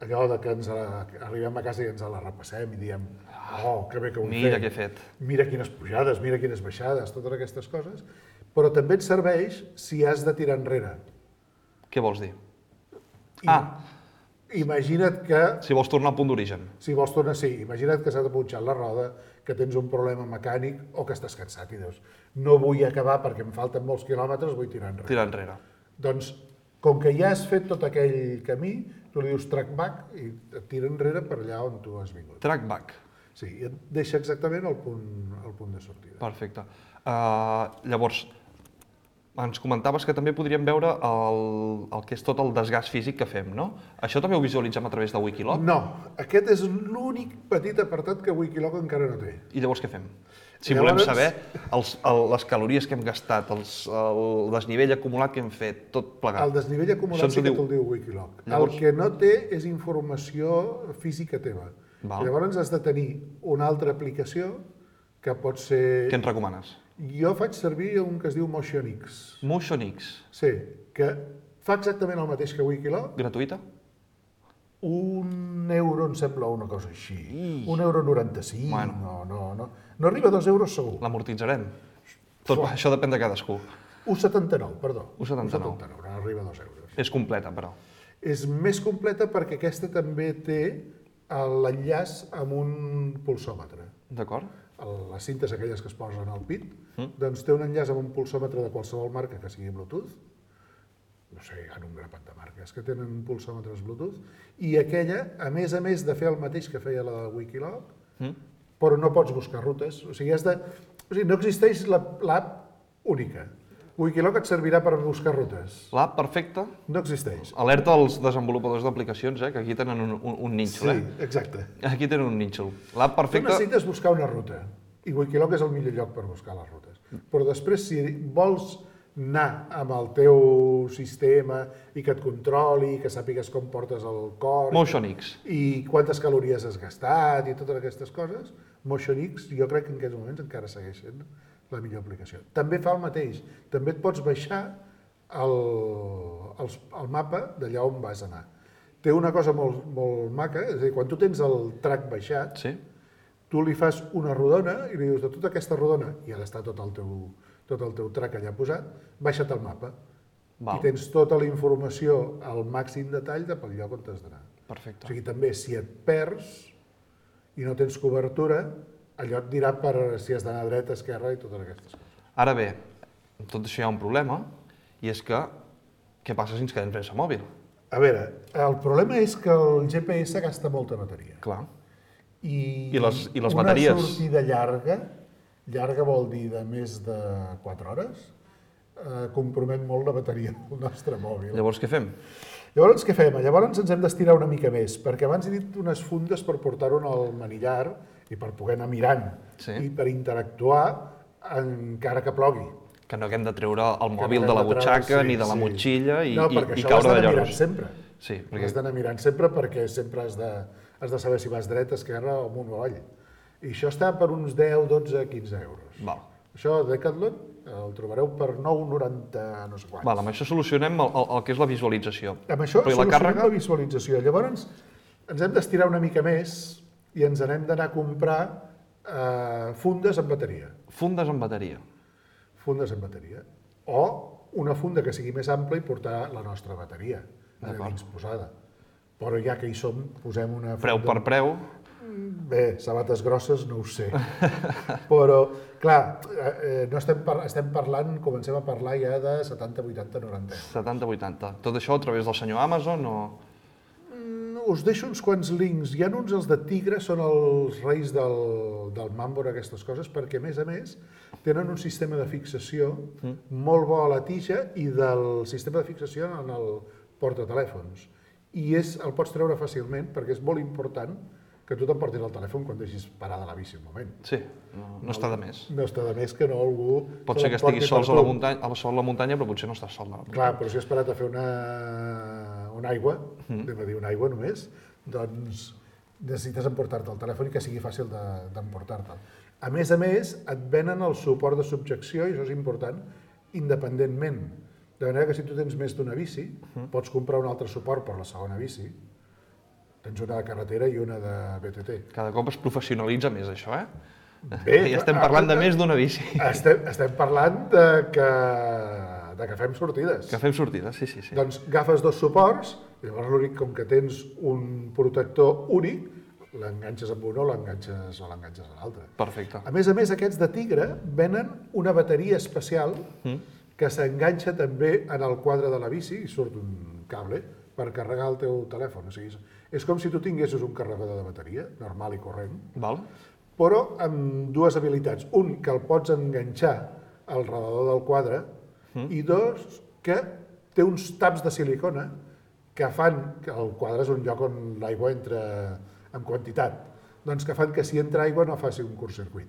allò de que ens la, arribem a casa i ens la repassem i diem oh, que bé que ho hem Mira fet. què he fet. Mira quines pujades, mira quines baixades, totes aquestes coses. Però també et serveix si has de tirar enrere. Què vols dir? I, Ah, imagina't que... Si vols tornar al punt d'origen. Si vols tornar, sí, imagina't que s'ha punxat la roda, que tens un problema mecànic o que estàs cansat i dius, no vull acabar perquè em falten molts quilòmetres, vull tirar enrere. Tirar enrere. Doncs, com que ja has fet tot aquell camí, tu li dius track back i et tira enrere per allà on tu has vingut. Track back. Sí, i et deixa exactament el punt, el punt de sortida. Perfecte. Uh, llavors, ens comentaves que també podríem veure el, el que és tot el desgast físic que fem, no? Això també ho visualitzem a través de Wikiloc? No, aquest és l'únic petit apartat que Wikiloc encara no té. I llavors què fem? Si Llavors... volem saber els, el, les calories que hem gastat, els, el desnivell acumulat que hem fet, tot plegat. El desnivell acumulat sí que te'l diu Wikiloc. Llavors... El que no té és informació física teva. Val. Llavors has de tenir una altra aplicació que pot ser... Què ens recomanes? Jo faig servir un que es diu MotionX. MotionX. Sí, que fa exactament el mateix que Wikiloc. Gratuïta? Un euro em sembla una cosa així. Un euro noranta-cinc, bueno. no, no, no. No arriba a dos euros segur. L'amortitzarem. Tot Fuà. Això depèn de cadascú. un coma setanta-nou, perdó. un coma setanta-nou. un coma setanta-nou, no arriba a dos euros. És completa, però. És més completa perquè aquesta també té l'enllaç amb un pulsòmetre. D'acord. Les cintes aquelles que es posen al pit, mm. doncs té un enllaç amb un pulsòmetre de qualsevol marca que sigui Bluetooth. No sé, hi ha un grapat de marques que tenen pulsòmetres Bluetooth. I aquella, a més a més de fer el mateix que feia la de Wikiloc, mm. però no pots buscar rutes. O sigui, has de... o sigui no existeix l'app única. Wikiloc et servirà per buscar rutes. L'app perfecta? No existeix. Alerta als desenvolupadors d'aplicacions, eh, que aquí tenen un, un, un nínxol. Sí, eh? exacte. Aquí tenen un nínxol. L'app perfecta... Tu necessites buscar una ruta, i Wikiloc és el millor lloc per buscar les rutes. Però després, si vols anar amb el teu sistema i que et controli, que sàpigues com portes el cor... MotionX. I quantes calories has gastat i totes aquestes coses, MotionX jo crec que en aquests moments encara segueix sent la millor aplicació. També fa el mateix. També et pots baixar el, el, el mapa d'allà on vas anar. Té una cosa molt, molt maca, és a dir, quan tu tens el track baixat, sí. tu li fas una rodona i li dius de tota aquesta rodona, i ha d'estar tot el teu, tot el teu track allà posat, baixa't el mapa. Val. I tens tota la informació al màxim detall de pel lloc on t'has d'anar. Perfecte. O sigui, també, si et perds i no tens cobertura, allò et dirà per si has d'anar dreta, esquerra i totes aquestes coses. Ara bé, amb tot això hi ha un problema, i és que què passa si ens quedem sense mòbil? A veure, el problema és que el G P S gasta molta bateria. Clar. I, I les, i les una bateries... sortida llarga, llarga vol dir de més de quatre hores, eh, compromet molt la bateria del nostre mòbil. Llavors què fem? Llavors què fem? Llavors ens hem d'estirar una mica més, perquè abans he dit unes fundes per portar-ho al manillar i per poder anar mirant, sí. i per interactuar encara que plogui. Que no haguem de treure el mòbil no de la butxaca treure, sí, ni de la sí. motxilla i, no, i, i caure de lloros. Sempre. Sí, perquè... Has d'anar mirant sempre perquè sempre has de, has de saber si vas dret, esquerra o amunt o avall. I això està per uns deu, dotze, quinze euros. Val. Això a Decathlon el trobareu per nou coma noranta no sé quants. Val, amb això solucionem el, el, el que és la visualització. Amb això Però solucionem la, càrrega... la visualització. Llavors ens hem d'estirar una mica més i ens n'hem d'anar a comprar eh, fundes amb bateria. Fundes amb bateria. Fundes amb bateria. O una funda que sigui més ampla i portar la nostra bateria a dins posada. Però ja que hi som, posem una funda... Preu per preu? Bé, sabates grosses no ho sé. Però, clar, eh, no estem, par estem parlant, comencem a parlar ja de setanta, vuitanta, noranta euros. setanta, vuitanta. Tot això a través del senyor Amazon o...? Us deixo uns quants links. Hi ha uns, els de Tigre, són els reis del, del Mambor, aquestes coses, perquè, a més a més, tenen un sistema de fixació mm. molt bo a la tija i del sistema de fixació en el portatelèfons. I és, el pots treure fàcilment, perquè és molt important que tu t'emportis el telèfon quan deixis parada la bici un moment. Sí, no, no està de més. No està de més que no algú... Pot ser que estiguis sols a la muntanya, a la sol a la muntanya, però potser no estàs sol a la muntanya. Clar, però si has parat a fer una, una aigua, mm. anem a dir una aigua només, doncs necessites emportar-te el telèfon i que sigui fàcil d'emportar-te'l. A més a més, et venen el suport de subjecció, i això és important, independentment. De manera que si tu tens més d'una bici, mm. pots comprar un altre suport per la segona bici. Tens una de carretera i una de B T T. Cada cop es professionalitza més, això, eh? Bé, ja estem parlant de més d'una bici. Estem, estem parlant de que, de que fem sortides. Que fem sortides, sí, sí, sí. Doncs agafes dos suports Llavors l'únic, com que tens un protector únic, l'enganxes amb un o l'enganxes o l'enganxes a l'altre. Perfecte. A més a més, aquests de Tigre venen una bateria especial que s'enganxa també en el quadre de la bici i surt un cable per carregar el teu telèfon. O sigui, és com si tu tinguessis un carregador de bateria, normal i corrent, Val? però amb dues habilitats. Un, que el pots enganxar al redador del quadre, i dos, que té uns taps de silicona que fan, que el quadre és un lloc on l'aigua entra en quantitat, doncs que fan que si entra aigua no faci un curtcircuit.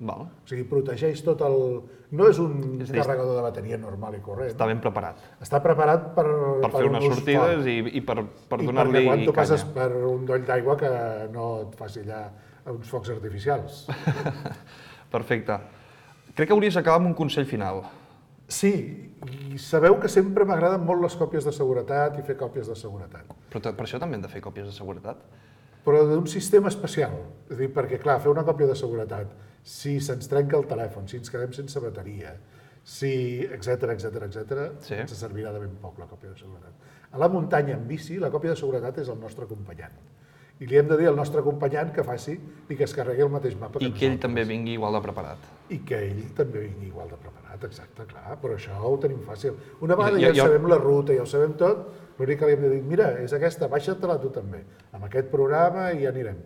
Val. O sigui, protegeix tot el... No és un És a dir, carregador de bateria normal i corrent. Està ben preparat. Està preparat per, Per fer unes un ús sortides fort. i, i per, per I donar-li perquè quan tu canya. passes per un doll d'aigua que no et faci allà uns focs artificials. Perfecte. Crec que hauries d'acabar amb un consell final. Sí, i sabeu que sempre m'agraden molt les còpies de seguretat i fer còpies de seguretat. Però ta- per això també hem de fer còpies de seguretat. Però d'un sistema especial. És a dir, perquè, clar, fer una còpia de seguretat, si se'ns trenca el telèfon, si ens quedem sense bateria, si, etc etc etc, Sí. ens servirà de ben poc la còpia de seguretat. A la muntanya en bici, la còpia de seguretat és el nostre acompanyant. I li hem de dir al nostre acompanyant que faci i que es carregui el mateix mapa que I que ell nosaltres. també vingui igual de preparat. I que ell també vingui igual de preparat, exacte, clar, però això ho tenim fàcil. Una vegada Jo- ja, jo- sabem la ruta, ja ho sabem tot, l'únic que li hem de dir, mira, és aquesta, baixa-te-la tu també, amb aquest programa i ja anirem.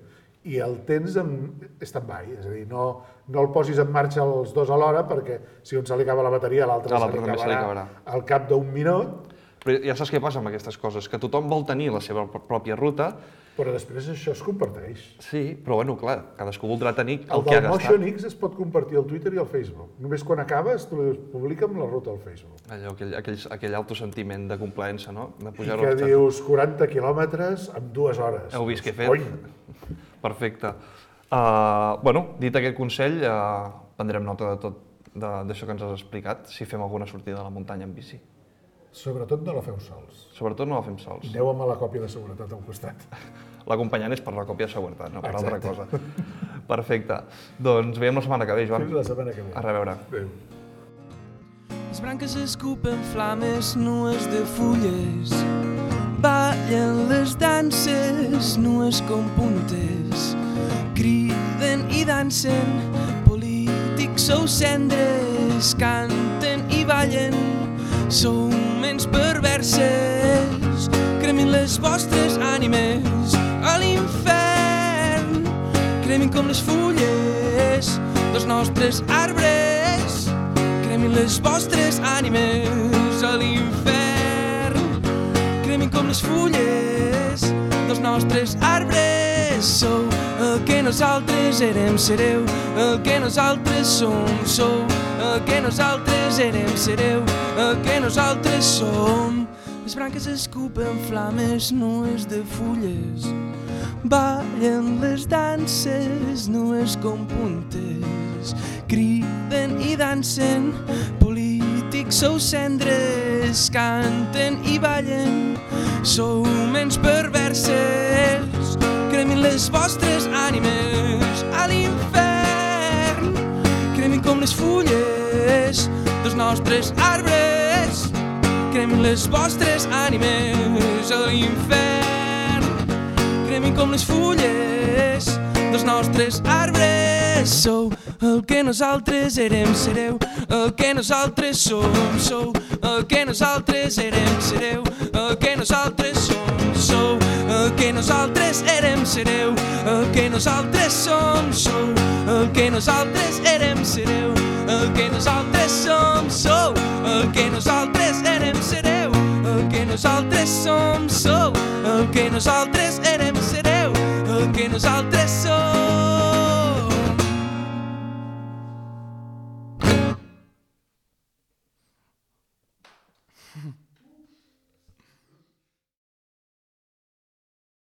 I el tens en stand-by, és a dir, no, no el posis en marxa els dos alhora perquè si un se li acaba la bateria, l'altre A se, l'altre li també se li acabarà acabarà. al cap d'un minut, Però ja saps què passa amb aquestes coses, que tothom vol tenir la seva pr- pròpia ruta. però després això es comparteix. Sí, però bueno, clar, cadascú voldrà tenir el, El que ha del gastat. Motion X es pot compartir al Twitter i al Facebook. Només quan acabes, tu li publica amb la ruta al Facebook. Allò, aquell, aquell, aquell autosentiment de complaença, no? De I pujar-ho que al xat. dius quaranta quilòmetres en dues hores. Heu vist què he fet? Cony! Perfecte. Uh, bueno, dit aquest consell, uh, prendrem nota de tot de- d'això que ens has explicat, si fem alguna sortida a la muntanya en bici. Sobretot no la feu sols. Sobretot no la fem sols. Aneu amb la còpia de seguretat al costat. L'acompanyant és per la còpia de seguretat, no per Exacte. altra cosa. Perfecte. Doncs veiem la setmana que ve, Joan. Fins la setmana que ve. A reveure. Adéu. Les branques escupen flames nues de fulles, ballen les danses nues com puntes, criden i dansen, polítics sou cendres, canten i ballen, sou ments perverses, cremin les vostres ànimes a l'infern, cremin com les fulles dels nostres arbres, cremin les vostres ànimes a l'infern, cremin com les fulles dels nostres arbres, sou el que nosaltres érem, sereu el que nosaltres som, sou el que nosaltres érem, sereu el que nosaltres som. Les branques escupen flames nues de fulles, ballen les danses nues com puntes, criden i dansen, polítics sou cendres, canten i ballen, sou ments perverses, cremin les vostres ànimes a l'infern, cremin com les fulles dels nostres arbres, cremin les vostres ànimes a l'infern, cremin com les fulles dels nostres arbres, sou el que nosaltres érem, sereu el que nosaltres som, sou el que nosaltres érem, sereu el que nosaltres som, sou el que nosaltres érem, sereu el que nosaltres som, sou el que nosaltres érem, sereu el que nosaltres som, sou el que nosaltres érem, sereu el que nosaltres som, sou el que nosaltres érem, sereu el que nosaltres som.